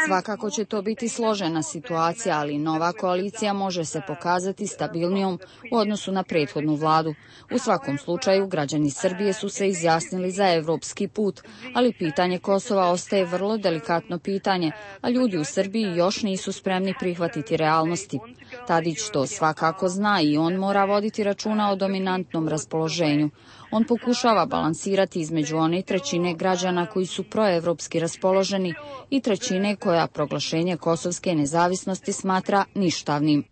Svakako će to biti složena situacija, ali nova koalicija može se pokazati stabilnijom u odnosu na prethodnu vladu. U svakom slučaju, građani Srbije su se izjasnili za evropski put, ali pitanje Kosova ostaje vrlo delikatno pitanje, a ljudi u Srbiji još nisu spremni prihvatiti realnosti. Tadić to svakako zna i on mora voditi računa o dominantnom raspoloženju. On pokušava balansirati između one trećine građana koji su proevropski raspoloženi i trećine koja proglašenje kosovske nezavisnosti smatra ništavnim.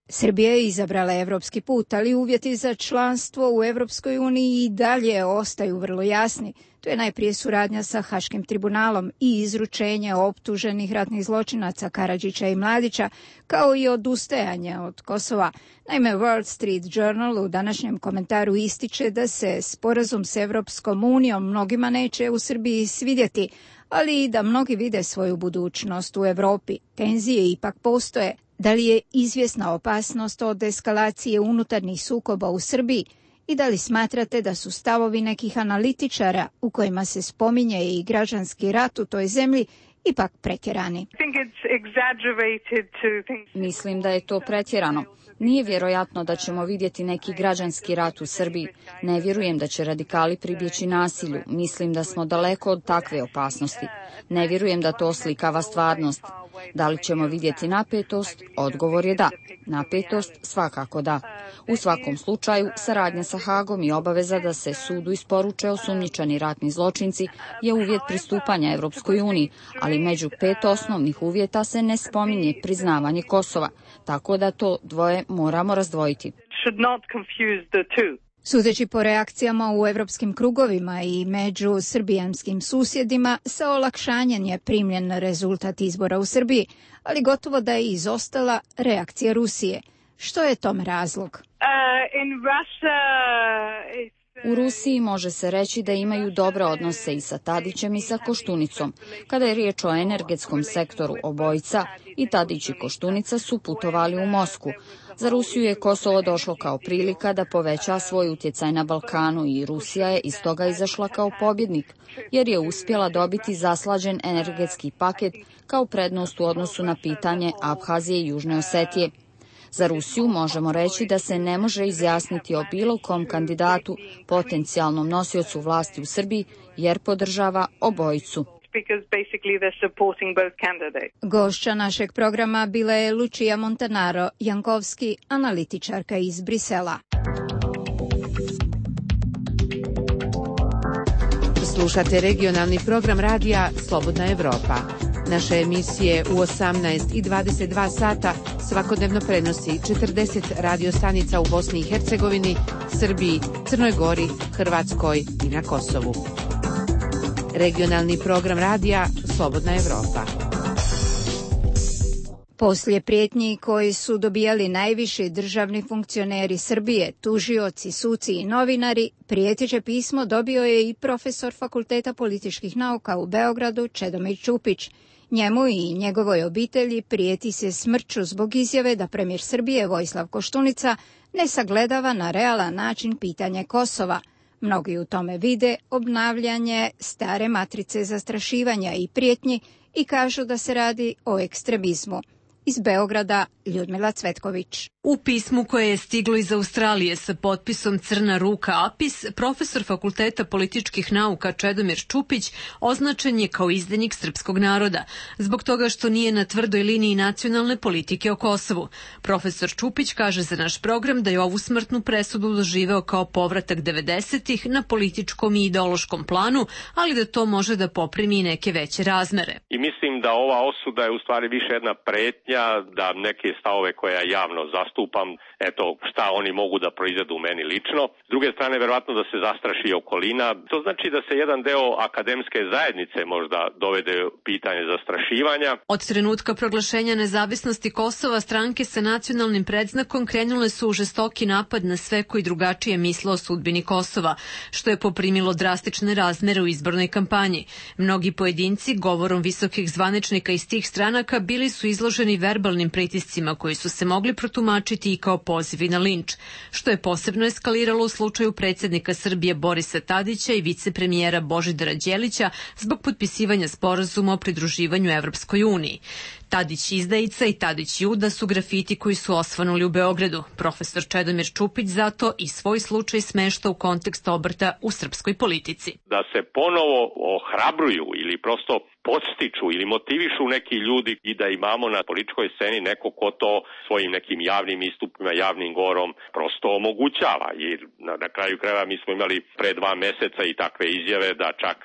Srbija je izabrala evropski put, ali uvjeti za članstvo u Evropskoj uniji i dalje ostaju vrlo jasni. To je najprije suradnja sa Haškim tribunalom i izručenje optuženih ratnih zločinaca Karadžića i Mladića, kao i odustajanje od Kosova. Naime, Wall Street Journal u današnjem komentaru ističe da se sporazum s Evropskom unijom mnogima neće u Srbiji svidjeti, ali i da mnogi vide svoju budućnost u Europi. Tenzije ipak postoje. Da li je izvjesna opasnost od eskalacije unutarnjih sukoba u Srbiji? I da li smatrate da su stavovi nekih analitičara u kojima se spominje i građanski rat u toj zemlji ipak pretjerani? Mislim da je to pretjerano. Nije vjerojatno da ćemo vidjeti neki građanski rat u Srbiji. Ne vjerujem da će radikali pribjeći nasilju. Mislim da smo daleko od takve opasnosti. Ne vjerujem da to oslikava stvarnost. Da li ćemo vidjeti napetost? Odgovor je da. Napetost svakako da. U svakom slučaju, saradnja sa Hagom i obaveza da se sudu isporuče osumnjičani ratni zločinci je uvjet pristupanja Evropskoj uniji, ali među 5 osnovnih uvjeta se ne spominje priznavanje Kosova, tako da to dvoje moramo razdvojiti. Sudeći po reakcijama u evropskim krugovima i među srbijanskim susjedima, sa olakšanjem je primljen rezultat izbora u Srbiji, ali gotovo da je izostala reakcija Rusije. Što je tom razlog? U Rusiji može se reći da imaju dobre odnose i sa Tadićem i sa Koštunicom. Kada je riječ o energetskom sektoru, obojica, i Tadić i Koštunica su putovali u Moskvu. Za Rusiju je Kosovo došlo kao prilika da poveća svoj utjecaj na Balkanu i Rusija je iz toga izašla kao pobjednik, jer je uspjela dobiti zaslađen energetski paket kao prednost u odnosu na pitanje Abhazije i Južne Osetije. Za Rusiju možemo reći da se ne može izjasniti o bilo kom kandidatu, potencijalnom nosiocu vlasti u Srbiji, jer podržava obojicu. Gošća našeg programa bila je Lucia Montanaro Jankovski, analitičarka iz Brisela. Slušate regionalni program radija Slobodna Evropa. Naše emisije u 18 i 22 sata svakodnevno prenosi 40 radiostanica u Bosni i Hercegovini, Srbiji, Crnoj Gori, Hrvatskoj i na Kosovu. Regionalni program radija Slobodna Evropa. Poslije prijetnji koji su dobijali najviši državni funkcioneri Srbije, tužioci, suci i novinari, prijeteće pismo dobio je i profesor Fakulteta političkih nauka u Beogradu Čedomir Čupić. Njemu i njegovoj obitelji prijeti se smrću zbog izjave da premijer Srbije Vojislav Koštunica ne sagledava na realan način pitanje Kosova. Mnogi u tome vide obnavljanje stare matrice zastrašivanja i prijetnji i kažu da se radi o ekstremizmu. Iz Beograda Ljudmila Cvetković. U pismu koje je stiglo iz Australije sa potpisom Crna ruka Apis, profesor Fakulteta političkih nauka Čedomir Čupić označen je kao izdajnik srpskog naroda, zbog toga što nije na tvrdoj liniji nacionalne politike o Kosovu. Profesor Čupić kaže za naš program da je ovu smrtnu presudu doživeo kao povratak 90-ih na političkom i ideološkom planu, ali da to može da poprimi i neke veće razmere. I mislim da ova osuda je u stvari više jedna pretnja sumnja da neke stavove koje ja javno zastupam, eto šta oni mogu da proizvedu meni lično. S druge strane, verovatno da se zastraši okolina. To znači da se jedan deo akademske zajednice možda dovede pitanje zastrašivanja. Od trenutka proglašenja nezavisnosti Kosova stranke sa nacionalnim predznakom krenule su u žestoki napad na sve koji drugačije misle o sudbini Kosova, što je poprimilo drastične razmere u izbornoj kampanji. Mnogi pojedinci, govorom visokih zvaničnika iz tih stranaka, bili su izloženi verbalnim pritiscima koji su se mogli protumačiti i kao pozivi na linč, što je posebno eskaliralo u slučaju predsjednika Srbije Borisa Tadića i vicepremijera Božidara Đelića zbog potpisivanja sporazuma o pridruživanju Evropskoj uniji. Tadić izdajica i Tadić Juda su grafiti koji su osvanuli u Beogradu. Profesor Čedomir Čupić zato i svoj slučaj smešta u kontekst obrta u srpskoj politici. Da se ponovo ohrabruju ili prosto podstiču ili motivišu neki ljudi i da imamo na političkoj sceni neko ko to svojim nekim javnim istupima, javnim govorom prosto omogućava. Jer na kraju krajeva mi smo imali pre 2 meseca i takve izjave da čak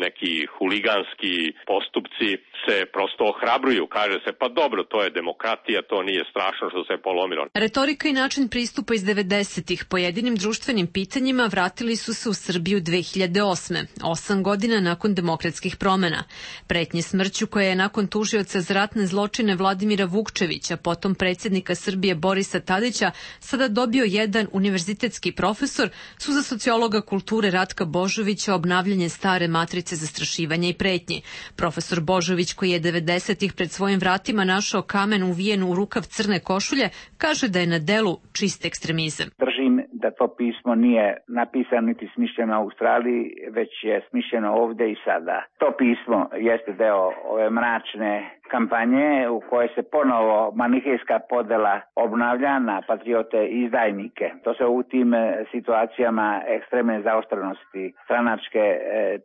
neki huliganski postupci se prosto ohrabruju. Kaže se pa dobro, to je demokratija, to nije strašno što se polomilo. Retorika i način pristupa iz 90-ih pojedinim društvenim pitanjima vratili su se u Srbiju 2008. 8 godina nakon demokratskih promena. Pretnje smrću koje je nakon tužioca za ratne zločine Vladimira Vukčevića, potom predsjednika Srbije Borisa Tadića, sada dobio jedan univerzitetski profesor, su za sociologa kulture Ratka Božovića obnavljanje stare matrice zastrašivanja i pretnji. Profesor Božović, koji je 90-ih pred svojim vratima našao kamen uvijen u rukav crne košulje, kaže da je na delu čist ekstremizam. Držim da to pismo nije napisano niti smišljeno u Australiji, već je smišljeno ovdje i sada. To pismo jeste deo ove mračne kampanje u kojoj se ponovo manihejska podela obnavlja na patriote i izdajnike. To se u tim situacijama ekstremne zaoštrenosti stranačke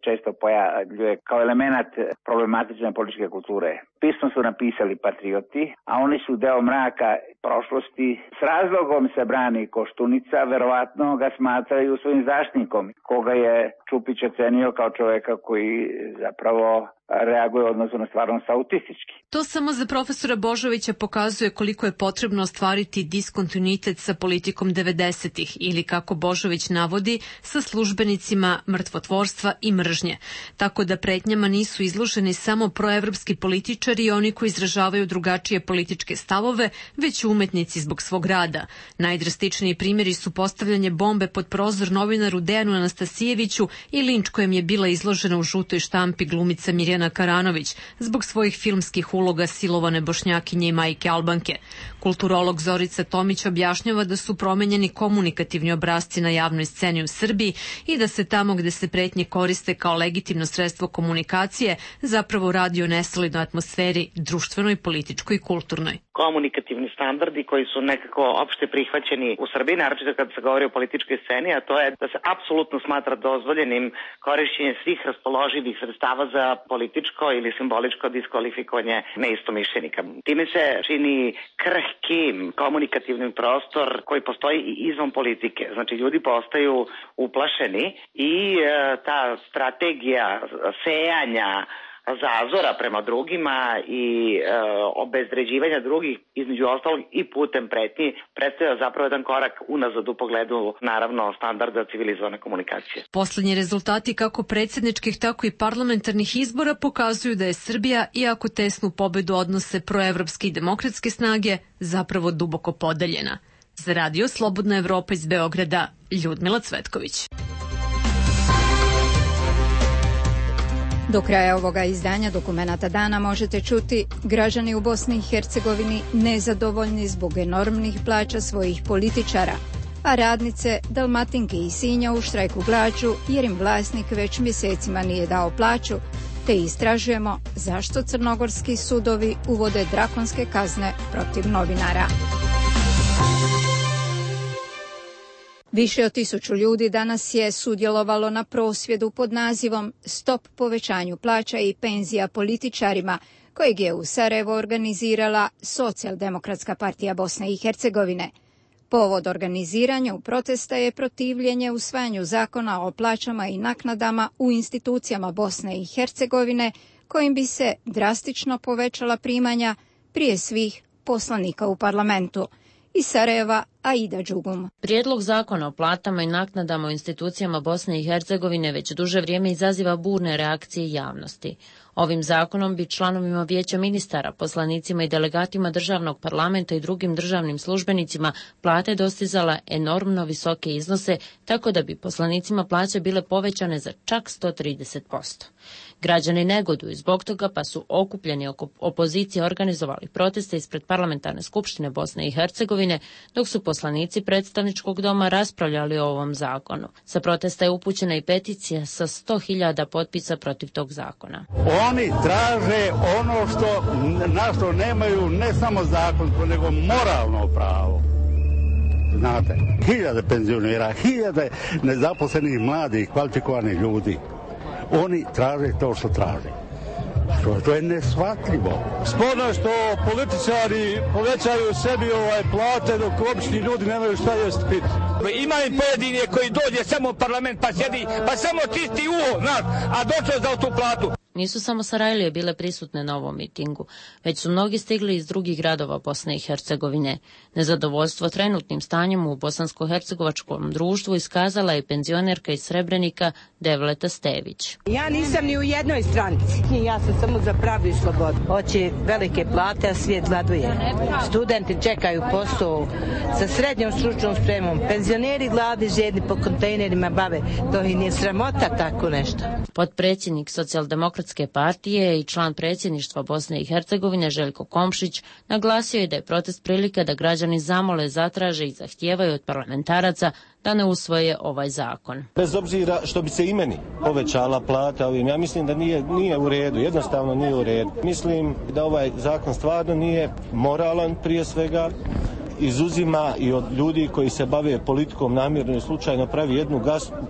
često pojavljuje kao element problematične političke kulture. Pismo su napisali patrioti, a oni su deo mraka prošlosti. S razlogom se brani Koštunica, verovatno ga smatraju svojim zaštitnikom, koga je Čupić ocenio kao čoveka koji zapravo reaguje odnosno na stvarnost autistički. To samo za profesora Božovića pokazuje koliko je potrebno ostvariti diskontinuitet sa politikom 90-ih ili, kako Božović navodi, sa službenicima mrtvotvorstva i mržnje. Tako da pretnjama nisu izloženi samo proevropski političari i oni koji izražavaju drugačije političke stavove, već umetnici zbog svog rada. Najdrastičniji primjeri su postavljanje bombe pod prozor novinaru Dejanu Anastasijeviću i linč kojem je bila izložena u žutoj štampi glumica Mirjana Karanović zbog svojih filmskih uloga silovane Bošnjakinje i majke Albanke. Kulturolog Zorica Tomić objašnjava da su promenjeni komunikativni obrasci na javnoj sceni u Srbiji i da se tamo gde se pretnje koriste kao legitimno sredstvo komunikacije zapravo radi o nesolidnoj atmosferi, društvenoj, političkoj i kulturnoj. Komunikativni standardi koji su nekako opšte prihvaćeni u Srbiji, naročito kad se govori o političkoj sceni, a to je da se apsolutno smatra dozvoljenim korišćenje svih raspoloživih sredstava za političko ili simboličko diskvalifikovanje neistomišljenika. Time se čini krhkim komunikativnim prostor koji postoji i izvan politike. Znači, ljudi postaju uplašeni i ta strategija sejanja zazora prema drugima i obezvređivanja drugih, između ostalog i putem pretnji, predstavlja zapravo jedan korak unazad u pogledu, naravno, standarda civilizovane komunikacije. Poslednji rezultati kako predsjedničkih, tako i parlamentarnih izbora pokazuju da je Srbija, iako tesnu pobedu odnose proevropske i demokratske snage, zapravo duboko podeljena. Za Radio Slobodna Evropa iz Beograda, Ljudmila Cvetković. Do kraja ovoga izdanja Dokumenata dana možete čuti: građani u Bosni i Hercegovini nezadovoljni zbog enormnih plaća svojih političara, a radnice Dalmatinke i Sinja u štrajku glađu jer im vlasnik već mjesecima nije dao plaću, te istražujemo zašto crnogorski sudovi uvode drakonske kazne protiv novinara. Više od 1000 ljudi danas je sudjelovalo na prosvjedu pod nazivom Stop povećanju plaća i penzija političarima, kojeg je u Sarajevo organizirala Socijaldemokratska partija Bosne i Hercegovine. Povod organiziranja u protesta je protivljenje usvajanju zakona o plaćama i naknadama u institucijama Bosne i Hercegovine, kojim bi se drastično povećala primanja, prije svih poslanika u parlamentu. Iz Sarajeva, Aida Đugum. Prijedlog zakona o platama i naknadama u institucijama Bosne i Hercegovine već duže vrijeme izaziva burne reakcije javnosti. Ovim zakonom bi članovima vijeća ministara, poslanicima i delegatima državnog parlamenta i drugim državnim službenicima plate dostizala enormno visoke iznose, tako da bi poslanicima plaće bile povećane za čak 130%. Građani negoduju zbog toga, pa su okupljeni oko opozicije organizovali proteste ispred parlamentarne skupštine Bosne i Hercegovine, dok su poslanici predstavničkog doma raspravljali o ovom zakonu. Sa protesta je upućena i peticija sa 100.000 potpisa protiv tog zakona. Oni traže ono na što nemaju ne samo zakonsko, nego moralno pravo. Znate, 1000 penzionera, 1000 nezaposlenih mladih, kvalifikovanih ljudi. Oni traže to što traže. To je neshvatljivo. Sporno je što političari povećaju sebi plate dok obični ljudi nemaju šta jesti piti. Ima i pojedine koji dođe samo u parlament pa sjedi, pa samo čisti uho, znaš, a došao za tu platu. Nisu samo Sarajlije bile prisutne na ovom mitingu, već su mnogi stigli iz drugih gradova Bosne i Hercegovine. Nezadovoljstvo trenutnim stanjem u bosansko-hercegovačkom društvu iskazala je penzionerka iz Srebrenika Devleta Stević. Ja nisam ni u jednoj stranci, ja sam samo za pravdu i slobodu. Hoće velike plate, a svijet gladuje. Studenti čekaju posao sa srednjom stručnom spremom, penzioneri gladni, žedni po kontejnerima bave. To i nije sramota tako nešto. Potpredsjednik Socijaldemokratske partije i član predsjedništva Bosne i Hercegovine Željko Komšić naglasio je da je protest prilika da građani zamole, zatraže i zahtijevaju od parlamentaraca da ne usvoje ovaj zakon. Bez obzira što bi se i meni povećala plata ovim, ja mislim da nije u redu, jednostavno nije u redu. Mislim da ovaj zakon stvarno nije moralan prije svega, izuzima i od ljudi koji se bave politikom namjerno i slučajno pravi jednu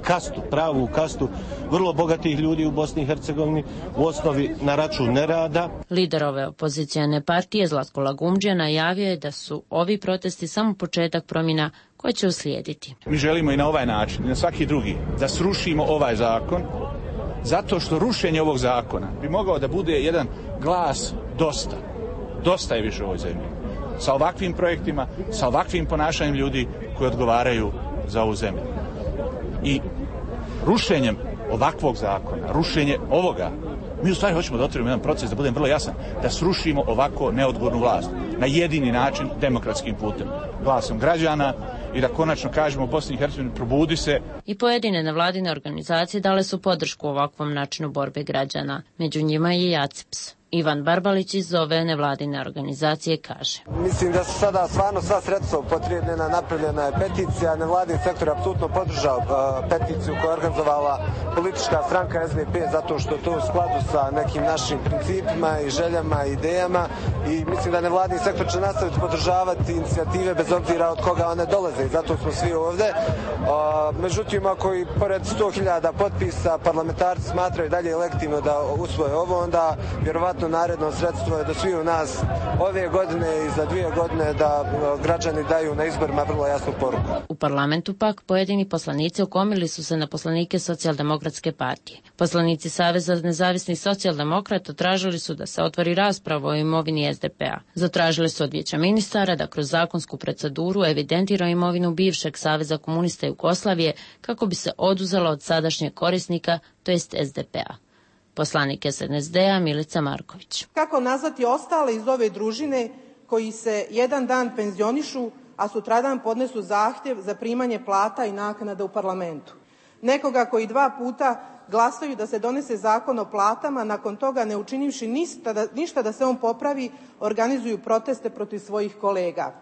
kastu, pravu kastu vrlo bogatih ljudi u Bosni i Hercegovini, u osnovi na račun nerada. Lider ove opozicijane partije Zlatko Lagumdžija najavio je da su ovi protesti samo početak promjena koje će uslijediti. Mi želimo i na ovaj način, i na svaki drugi, da srušimo ovaj zakon, zato što rušenje ovog zakona bi mogao da bude jedan glas dosta. Dosta je više u ovoj zemlji. Sa ovakvim projektima, sa ovakvim ponašanjem ljudi koji odgovaraju za ovu zemlju. I rušenjem ovakvog zakona, rušenje ovoga, mi u stvari hoćemo da otvorimo jedan proces, da budem vrlo jasan, da srušimo ovako neodgovornu vlast na jedini način, demokratskim putem, glasom građana, i da konačno kažemo Bosni i Hercegovini probudi se. I pojedine nevladine organizacije dale su podršku ovakvom načinu borbe građana. Među njima je i ACIPS. Ivan Barbalić iz ove nevladine organizacije kaže: Mislim da su sada stvarno sva sredstva upotrijebljena, napravljena je peticija, nevladin sektor je apsolutno podržao peticiju koja je organizovala politička stranka SDP zato što to u skladu sa nekim našim principima i željama i idejama, i mislim da nevladin sektor će nastaviti podržavati inicijative bez obzira od koga one dolaze, i zato smo svi ovde. Međutim, ako i pored 100.000 potpisa parlamentarci smatraju dalje legitimno da usvoje ovo, onda vjerovatno naredno sredstvo je da svi u nas ove godine i za 2 godine da građani daju na izborima vrlo jasnu poruku. U parlamentu pak pojedini poslanici okomili su se na poslanike Socijaldemokratske partije. Poslanici Saveza nezavisnih socijaldemokrata tražili su da se otvori rasprava o imovini SDP-a. Zatražili su od vijeća ministara da kroz zakonsku proceduru evidentira imovinu bivšeg Saveza komunista Jugoslavije kako bi se oduzela od sadašnjeg korisnika, to jest SDP-a. Poslanik SNSD-a Milica Marković. Kako nazvati ostale iz ove družine koji se jedan dan penzionišu, a sutradan podnesu zahtjev za primanje plata i naknada u parlamentu? Nekoga koji 2 puta glasaju da se donese zakon o platama, nakon toga ne učinivši ništa da se on popravi, organizuju proteste protiv svojih kolega.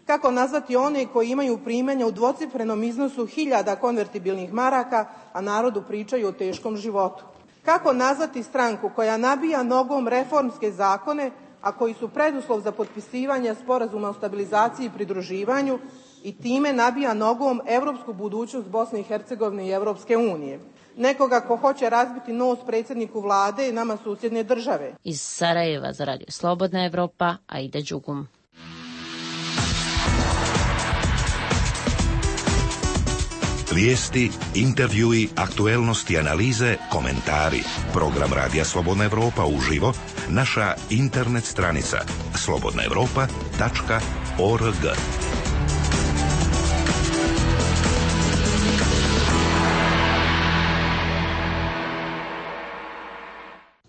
Kako nazvati one koji imaju primanja u dvocifrenom iznosu 1000 konvertibilnih maraka, a narodu pričaju o teškom životu? Kako nazvati stranku koja nabija nogom reformske zakone, a koji su preduslov za potpisivanje sporazuma o stabilizaciji i pridruživanju, i time nabija nogom evropsku budućnost Bosne i Hercegovine i Evropske unije? Nekoga ko hoće razbiti nos predsjedniku vlade i nama susjedne države. Iz Sarajeva za Radio Slobodna Evropa, Aida Đugum. Vijesti, intervjui, aktuelnosti, analize, komentari. Program Radija Slobodna Evropa uživo, naša internet stranica slobodnaevropa.org.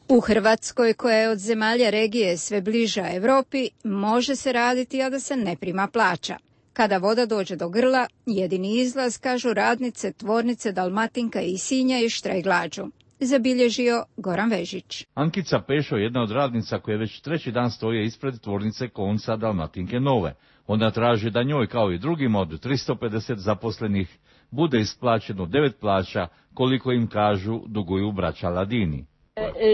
U Hrvatskoj, koja je od zemalja regije sve bliža Europi, može se raditi, a da se ne prima plaća. Kada voda dođe do grla, jedini izlaz, kažu radnice tvornice Dalmatinka i Sinja, je štrajk glađu. Zabilježio Goran Vežić. Ankica Pešo je jedna od radnica koja već treći dan stoje ispred tvornice konca Dalmatinke Nove. Ona traži da njoj, kao i drugim od 350 zaposlenih, bude isplaćeno 9 plaća, koliko im kažu duguju braća Ladini.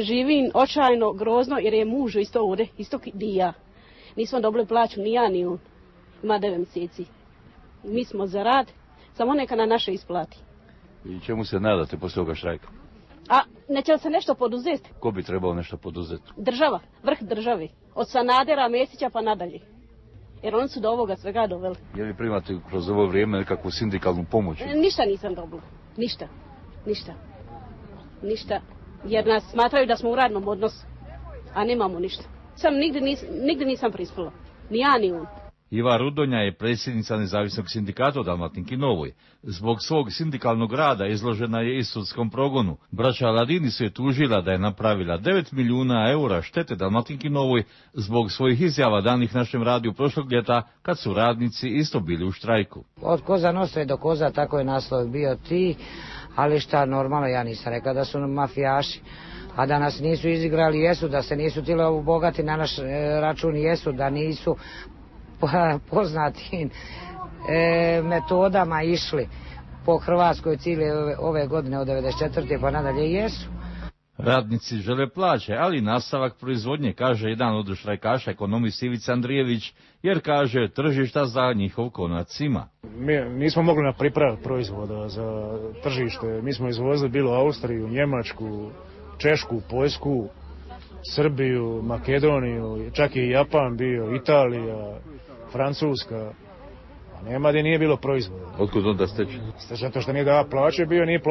Živim očajno, grozno, jer je muž isto ovdje, isto di ja. Nismo dobili plaću, ni ja, ni on. Ima 9 mjeseci. Mi smo za rad, samo neka na naše isplati. I čemu se nadate poslije ovoga štrajka? A neće li se nešto poduzeti? Ko bi trebao nešto poduzeti? Država, vrh države. Od Sanadera, Mesića pa nadalje. Jer oni su do ovoga svega doveli. Je li primate kroz ovo vrijeme nekakvu sindikalnu pomoć? Ništa nisam dobila. Ništa. Jer nas smatraju da smo u radnom odnosu. A nemamo ništa. Nigdje nisam prispila. Ni ja, ni on. Iva Rudonja je predsjednica nezavisnog sindikata u Dalmatinki Novoj. Zbog svog sindikalnog rada izložena je i sudskom progonu. Braća Ladini su je tužila da je napravila 9 milijuna eura štete Dalmatinki Novoj zbog svojih izjava danih našem radiju prošlog ljeta, kad su radnici isto bili u štrajku. Od Koza Nostre do Koza, tako je naslov bio ti, ali šta, normalno, ja nisam rekla da su mafijaši. A da nas nisu izigrali, jesu, da se nisu tile obogati na naš račun, jesu, da nisu poznatim metodama išli po Hrvatskoj cijele ove godine od 94. pa nadalje, jesu. Radnici žele plaće, ali nastavak proizvodnje, kaže jedan od štrajkaša, ekonomist Ivica Andrijević, jer kaže tržišta za njihov konac ima. Mi nismo mogli pripraviti proizvoda za tržište. Mi smo izvozili bilo Austriju, Njemačku, Češku, Poljsku, Srbiju, Makedoniju, čak i Japan bio, Italija, Francuska. Nema gdje nije bilo proizvoda. Otkud onda steći? Zato što nije da plaće bio, nije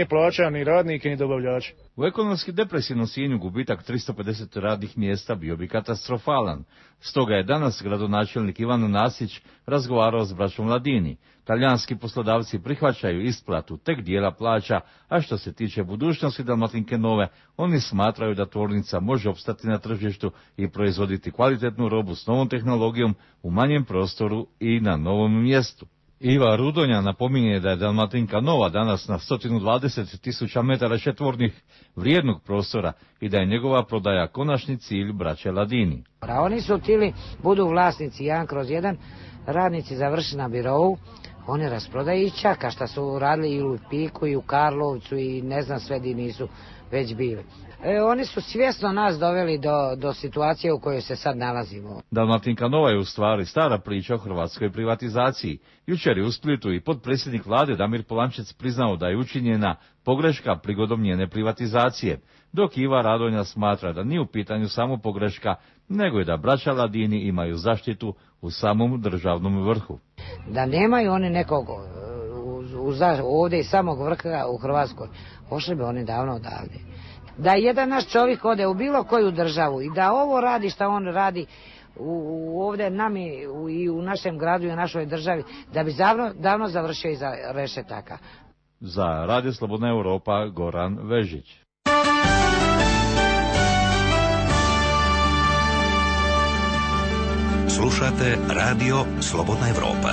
plaća ni radnike ni dobavljače. U ekonomski depresivnom Sinju gubitak 350 radnih mjesta bio bi katastrofalan. Stoga je danas gradonačelnik Ivan Nasić razgovarao s braćom Ladini. Talijanski poslodavci prihvaćaju isplatu tek dijela plaća, a što se tiče budućnosti Dalmatinke Nove, oni smatraju da tvornica može opstati na tržištu i proizvoditi kvalitetnu robu s novom tehnologijom u manjem prostoru i na novom mjestu. Iva Rudonja napominje da je Dalmatinka Nova danas na 120.000 metara četvornih vrijednog prostora i da je njegova prodaja konačni cilj braće Ladini. Oni su htjeli budu vlasnici 1/1, radnici završi na birovu, oni rasprodaju i čaka šta su radili i u Piku i u Karlovcu i ne znam sve di nisu već bili. Oni su svjesno nas doveli do situacije u kojoj se sad nalazimo. Dalmatinka Nova je u stvari stara priča o hrvatskoj privatizaciji. Jučer je u Splitu i potpredsjednik vlade Damir Polančec priznao da je učinjena pogreška prigodom njene privatizacije, dok Iva Radonja smatra da nije u pitanju samo pogreška, nego i da braća Ladini imaju zaštitu u samom državnom vrhu. Da nemaju oni nekog ovdje iz samog vrha u Hrvatskoj, pošli bi oni davno odavde. Da jedan naš čovjek ode u bilo koju državu i da ovo radi što on radi ovdje nami i u našem gradu i u našoj državi, da bi davno završio iza rešetaka. Za Radio Slobodna Europa, Goran Vežić. Slušate Radio Slobodna Evropa.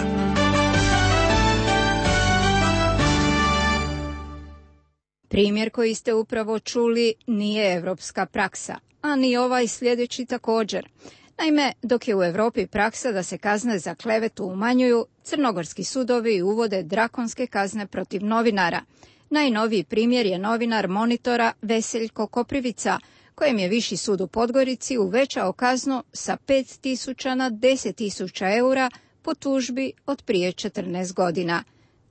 Primjer koji ste upravo čuli nije evropska praksa, a ni ovaj sljedeći također. Naime, dok je u Europi praksa da se kazne za klevetu umanjuju, crnogorski sudovi uvode drakonske kazne protiv novinara. Najnoviji primjer je novinar Monitora Veseljko Koprivica, kojem je Viši sud u Podgorici uvećao kaznu sa 5.000 na 10.000 eura po tužbi od prije 14 godina.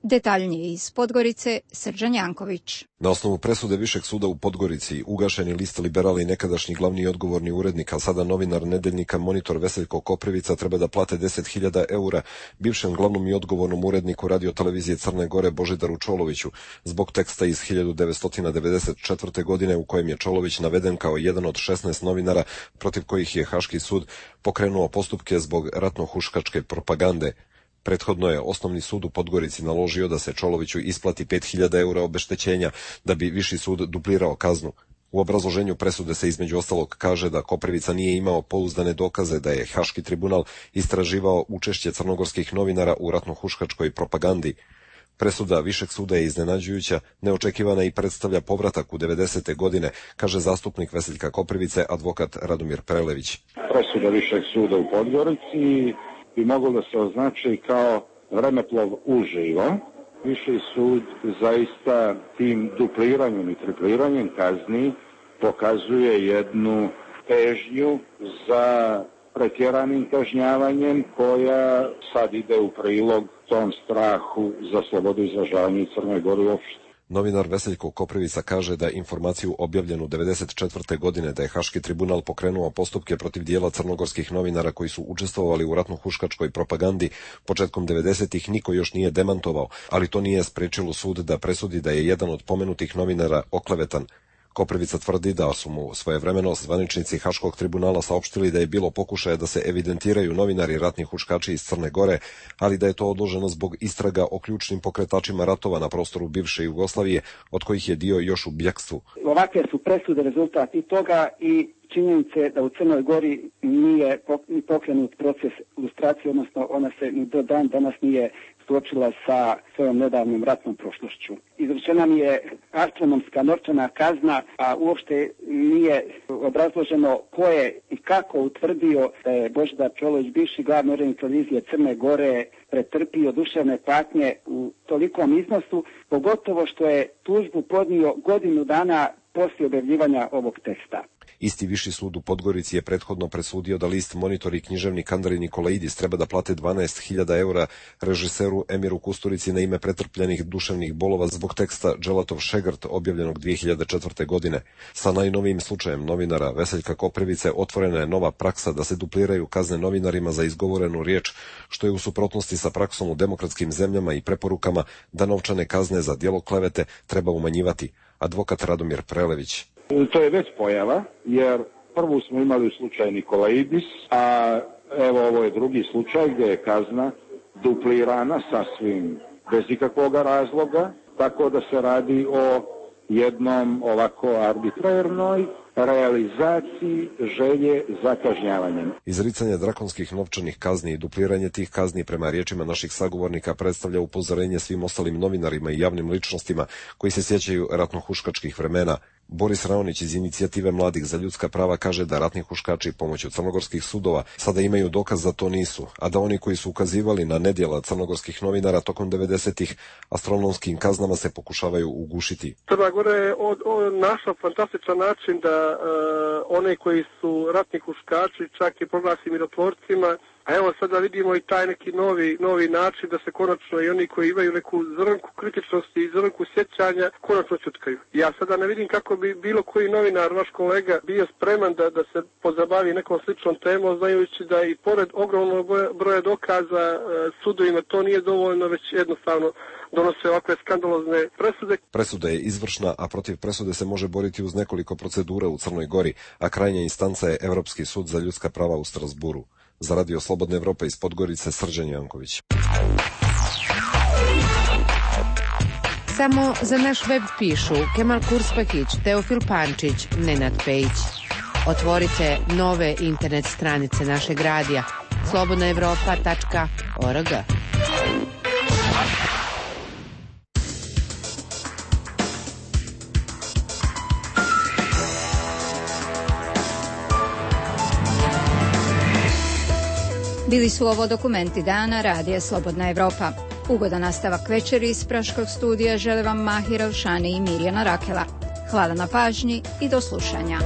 Detaljnije iz Podgorice, Srđan Janković. Na osnovu presude Višeg suda u Podgorici, ugašeni list Liberala i nekadašnji glavni i odgovorni urednik, a sada novinar nedeljnika Monitor Veseljko Koprivica treba da plate 10.000 eura bivšem glavnom i odgovornom uredniku radiotelevizije Crne Gore Božidaru Čoloviću zbog teksta iz 1994. godine u kojem je Čolović naveden kao jedan od 16 novinara protiv kojih je Haški sud pokrenuo postupke zbog ratno-huškačke propagande. Prethodno je Osnovni sud u Podgorici naložio da se Čoloviću isplati 5.000 eura obeštećenja da bi Viši sud duplirao kaznu. U obrazloženju presude se između ostalog kaže da Koprivica nije imao pouzdane dokaze da je Haški tribunal istraživao učešće crnogorskih novinara u ratno-huškačkoj propagandi. Presuda Višeg suda je iznenađujuća, neočekivana i predstavlja povratak u 90. godine, kaže zastupnik Veseljka Koprivice, advokat Radomir Prelević. Presuda Višeg suda u Podgorici bi moglo da se označi kao vremeplov uživo. Viši sud zaista tim dupliranjem i tripliranjem kazni pokazuje jednu težnju za pretjeranim kažnjavanjem koja sad ide u prilog tom strahu za slobodu izražavanja i Crnoj Gori uopšte. Novinar Veseljko Koprivica kaže da informaciju objavljenu 1994. godine da je Haški tribunal pokrenuo postupke protiv dijela crnogorskih novinara koji su učestvovali u ratno-huškačkoj propagandi početkom 90-ih niko još nije demantovao, ali to nije sprečilo sud da presudi da je jedan od pomenutih novinara oklevetan. Koprivica tvrdi da su mu svojevremeno zvaničnici Haškog tribunala saopštili da je bilo pokušaja da se evidentiraju novinari ratni huškači iz Crne Gore, ali da je to odloženo zbog istraga o ključnim pokretačima ratova na prostoru bivše Jugoslavije, od kojih je dio još u bjekstvu. Ovakve su presude rezultat i toga i činjenice da u Crnoj Gori nije pokrenut proces lustracije, odnosno ona se ni do dan danas nije suočila sa svojom nedavnom ratnom prošlošću. Izrečena mi je astronomska novčana kazna, a uopšte nije obrazloženo ko je i kako utvrdio da je Božidar Čolović, bivši glavni urednik televizije Crne Gore, pretrpio duševne patnje u tolikom iznosu, pogotovo što je tužbu podnio godinu dana poslije objavljivanja ovog teksta. Isti Viši sud u Podgorici je prethodno presudio da list Monitor i književnik Andrej Nikolaidis treba da plate 12.000 eura režiseru Emiru Kusturici na ime pretrpljenih duševnih bolova zbog teksta Dželatov Šegrt objavljenog 2004. godine. Sa najnovijim slučajem novinara Veseljka Koprivice otvorena je nova praksa da se dupliraju kazne novinarima za izgovorenu riječ, što je u suprotnosti sa praksom u demokratskim zemljama i preporukama da novčane kazne za djelo klevete treba umanjivati. Advokat Radomir Prelević. To je već pojava, jer prvu smo imali u slučaju Nikolaidis, a evo ovo je drugi slučaj gdje je kazna duplirana sasvim bez ikakvog razloga, tako da se radi o jednom ovako arbitrarnoj realizaciji želje za kažnjavanjem. Izricanje drakonskih novčanih kazni i dupliranje tih kazni prema riječima naših sagovornika predstavlja upozorenje svim ostalim novinarima i javnim ličnostima koji se sjećaju ratno-huškačkih vremena. Boris Raonić iz Inicijative mladih za ljudska prava kaže da ratni huškači pomoću crnogorskih sudova sada imaju dokaz da to nisu, a da oni koji su ukazivali na nedjela crnogorskih novinara tokom 90-ih astronomskim kaznama se pokušavaju ugušiti. Crna Gora je našla fantastičan način da one koji su ratni huškači čak i proglasi mirotvorcima. A evo sada vidimo i taj neki novi način da se konačno i oni koji imaju neku zrnku kritičnosti i zrnku sjećanja konačno čutkaju. Ja sada ne vidim kako bi bilo koji novinar, vaš kolega, bio spreman da se pozabavi nekom sličnom temom, znajući da i pored ogromnog broja dokaza sudovima to nije dovoljno, već jednostavno donose ovakve skandalozne presude. Presuda je izvršna, a protiv presude se može boriti uz nekoliko procedura u Crnoj Gori, a krajnja instanca je Evropski sud za ljudska prava u Strasburu. Za Radio Slobodna Evropa iz Podgorice, Srđan Janković. Samo za naš web pišu Kemal Kurspakić, Teofil Pančić, Nenad Pejić. Otvorite nove internet stranice našeg radija slobodnaevropa.org. Bili su ovo dokumenti dana Radija Slobodna Evropa. Ugodan nastavak večeri iz Praškog studija žele vam Mahira Ušani i Mirjana Rakela. Hvala na pažnji i do slušanja.